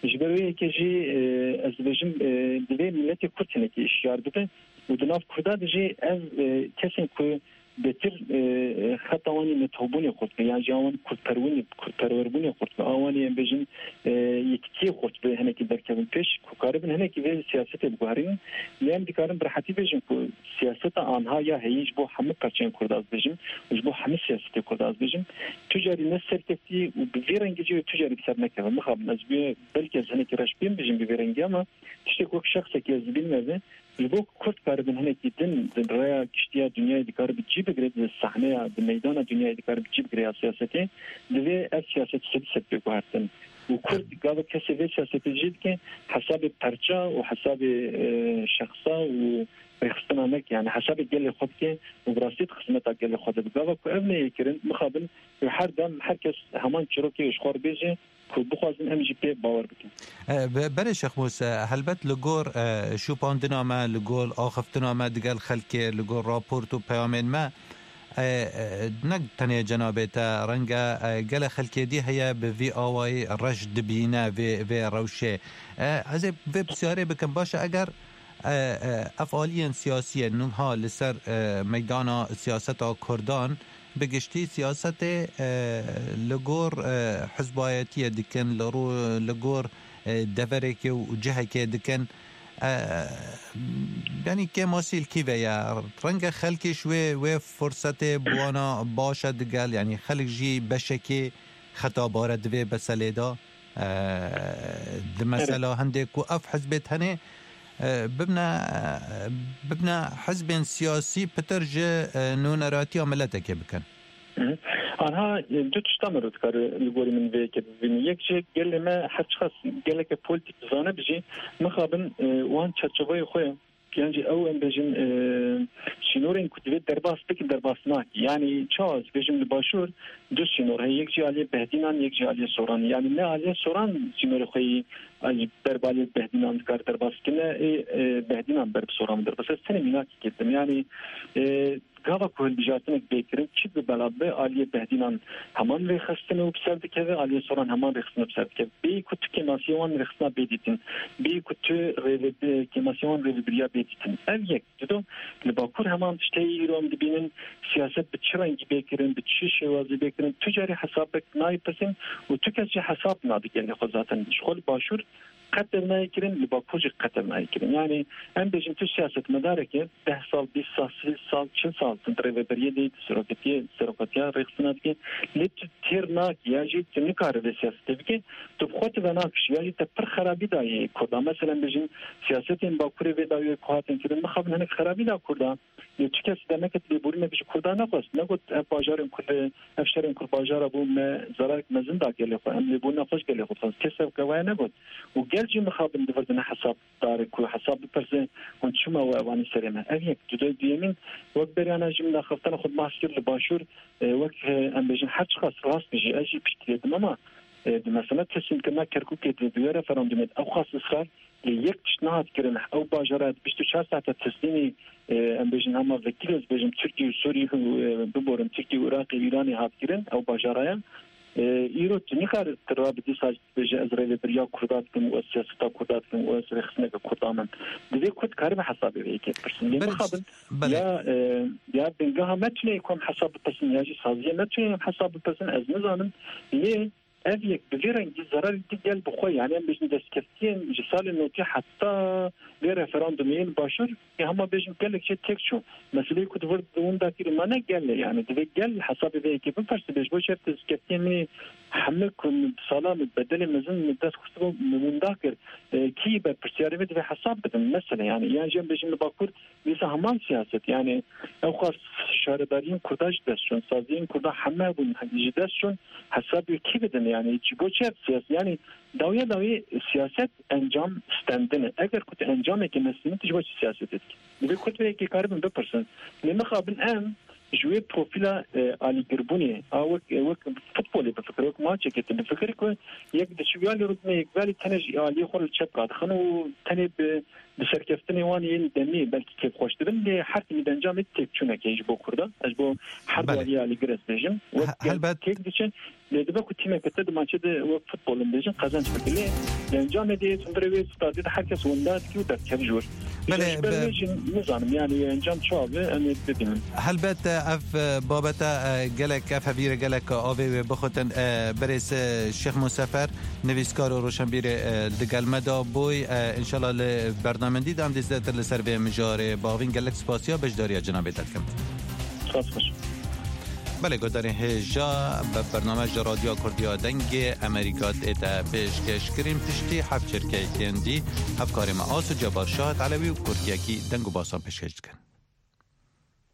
Ji ber wê yekê jî, e, ez dibêjim, e, divê miletê Kurd hinekî hişyar bibe û di nav Kurda de jî ev, e, kesên ku bêtir, e, xeta wan ê netewbûnê xurt be, yan jî a wan kurdperwinê, kurdperwerbûnê xurt be, a wan ê em bêjin, e, yekitiyê xurt be, hinekî derkevin pêş, ku karibin hinekî vê siyasetê biguherînin. Lê em dikarin bi rehetî bêjin ku siyaseta anha ya heyî ji bo hemû perçeyên Kurda ez bêjim û ji bo hemû siyasetê Kurda ez bêjim, tu carî ne serkeftî û bi vê rengî jî tu carî bi ser nekeve. Mixabin ez bi, belkî ez hinekî reş bêm bêjim bi vê rengî, ama tiştek wek şexsekî ez dibînim ev e. Ji bo ku Kurd karibin hinekî din di rêya kiştiya dinyayê dikare bi cî bigire, di sahneya, di meydana dinyayê dikare bi cî bigire ya siyasetê, divê ev siyaset sed sed bê guhertin. Û Kurd gava kesê vê siyasetê jî dike hesabê perça û hesabê, e, şexsa û rêxistina neke, yani hesabê gelê xwe dike û bi rastî di xizmeta gelê xwe de bi. Gava ku ev neyê kirin, mixabin û her dem her kes heman çîrokê ji xwe re bêje, ku bixwazin em jî pê bawer bikin. E, be-, berê Şexmûs, e, helbet li gor, e, şûpandina me, li gor axiftina me digel xelkê, li gor raport û peyamên me, e, e, ne tenê cenabê te, renge, e, gelek xelkê dî heye bi vî awayî reş dibîne vê, vê rewşê. E, ez ê vê pisyarê bikim, baş e, eger, e, e, ev aliyên siyasiyên nûha li ser, e, meydana siyaseta Kurdan, bi giştî siyasetê, e, li gor, e, hizbayetiyê dikin, li ro-, li gor, e, deverekê û cihekê dikin. E, yanî kêmasî li kî ve ye? Renge xelkî ji wê, wê firsetê bi wana baş e digel, yanî xelk jî beşekê xeta bare di vê meselê de. E, di mesela hindê ku ev hizbê tenê, e, bibne, e, bibne hizbên siyasî pitir ji, e, nûneratiya miletekê bikin. Hı hı. Anha, e, du tişta meriv dikare li gorî min vê yekê bibîne. Yek jî gelê me her çiqas geleke polîtîk dizane bijî, mixabin, e, wan çerçeveyê xwe Yan jî ew, em bêjin, e, sînorên ku divê derbas bikin, derbas nake. Yanî çawa ez bêjim, li Başûr du sînor heye, yek jî aliyê Behdînan, yek jî aliyê Soranê. Yanî ne aliyê Soran sînorê xwe yî, e, ber bi aliyê Behdînan dikare derbas bike, ne ê, e, Behdînan ber bi Soran derbas. Ez tenê mînakê girtim. Yanî, e, gava ku hilbijartinek bê kirin, çi bi bela be, aliyê Behdînan heman rêxistin û bi ser dikeve, aliyê Soran heman rêxistin û bi ser dikeve. Bêyî ku tu kêmasiyê wan rêxistina bê dîtin, bêyî ku tu rêve-, kêmasiyê wan rêvebiriya bê dîtin. Ev yek. Dido, li Bakur heman tiştê îro em dibînin, siyaset bi çi rengî bê kirin, bi çi şêwazî bê kirin, tu carî hesabek nayê pirsîn û tu kes jî hesab nade gelê xwe zaten. Ji xwe li Başûr qet ev nayê kirin, li Bakur jî qet ev nayê kirin. Yanî em bêjin tu siyasetmedareke deh sal, bîst sal, sî sal, çil sal tu di rêveberiyê de, di seroketiyê, serokatiya rêxistina dike, lê tu têr nakî ya jî tu nikarî vê siyasetê bike, tu bi xwe tu venakişî ya jî te pir xerabî dayê Kurda. Mesela em bêjin siyasetên Bakurê vê dawiyê ku hatin kirin, mixabin hinek xerabî da Kurda. Lê çi kes demeke lêborînek ji Kurda nexwest. Negot ev bajarên ku li, ev şerên ku li bajara bû me zerarek mezin da gelê xwe. Em lêborîna xwe ji gelê xwe dixwazin. Kes ev gavaya negot. Û gel jî mixabin divirdine hesabdarê ku hesab bipirse, hûn çima we evanî serê me? Ev yek. Dude-, duyemîn, wek beriyana jî min daxeftana xwe bahs kir li Başûr, e, wek, e, em bêjin her çiqas rast bijî, ez jî piştgirê dim, ama, e, di mesela teslimkirina Kerkûkê de, di wê referandumê de ew xas israr Lê yek tişt nehat kirin, ew bajara di bîst û çar saete teslîmî, e, em bêjin hema vekîlê, ez bêjim Tirkî û Sûrî û, e, biborin, Tirkî û Iraqê û Îranê hat kirin, ew bajara ye. E, îro tu nikare tu rabî dîsa jî bêje ez rêvebiriya Kurda dikim û ez siyaseta Kurda dikim û ez rêxistineke Kurda me. Divê Kurd karibe hesabê vê yekê bipirsin. Lê Belê, mixabin belê. ya, e, ya bingeha me tune ye ku em hesab bipirsin ya jî saziya me tune ye em hesab bipirsin, ez nizanim. Lê Ev yek bi vî rengî zerarê dî gel bi xwe, yanî em bêjin destkeftiyên ji salên notî heta vê referandumê yên başûr, ê hema bêjin gelek jê têk çû. Meseleyê ku di vir di winda kir, ma ne gel e, yanî divê gel hesabê vê yekê bipirse, bêj bo çi ev destkeftiyên min ê hemû ku min bi sala min bedelê mezin min dest xistibû, min winda kir, e, kî berpirsyarê vê divê hesab bidin. Mesele, yanî, yan jî em bêjin li Bakur, dîsa heman siyaset, yanî ew xas çaredariyên Kurda ji dest çûn, saziyên Kurda heme bûn ji dest çûn, hesabê kî bidin? Yani ji bo çi ev siyaset? Yani dawiya dawî siyaset encam stendin e. Eger ku tu encamekê nestînî, tu ji bo çi siyasetê dikî? Divê Kurd vê yekê karibin bipirsin. Lê mixabin em ji wê profîla, e, alîgirbûnê, a wek, e, wek futbolê bifikir, wek maçekê tu bifikir ku yek diçû ya lê rûdine yek belî tenê ji aliyê xwe li çep radixin û tenê bi, bi serkeftinê wan yên demî belkî kêfxweş dibin, lê her timî di encamê têkçûnekê ji bo Kurda. Ez ji bo her du Belê. aliyê alîgir ez bêjim. Wek He-, helbet. têk diçin, lê dibe ku tîmeke te di maçê de wek futbol em bêjin qezenc bike. Lê di encamê de hundirê wê stadê de her kes wenda dikî û derdiket ji wir. Belê, Ji ber be- wê jî nizanim, yani encam çawa be, em ê bibînin. Helbet, e, ev, e, babete, e, gelek, ev hevîre gelek avê wê bixutin. E, berêz, e, Şêx Musefer, nivîskar û roşenbîrê, e, digel me de bûy. E, înşallah li bernamendî de em dê zêdetir li ser vê mijarê bavîn. Gelek spasiya beşdariya cenabê te dikim. Spas xweş. Belê, godarên hêja, be bername ji Radyoya Kurdiya Dengê Amerîka tête pêşkêşkirin. Piştî hevçirkeyên dî, hevkarê me Asu Cebar Şahat Elewî û kurtiyekî deng û basan pêşkêş dikin.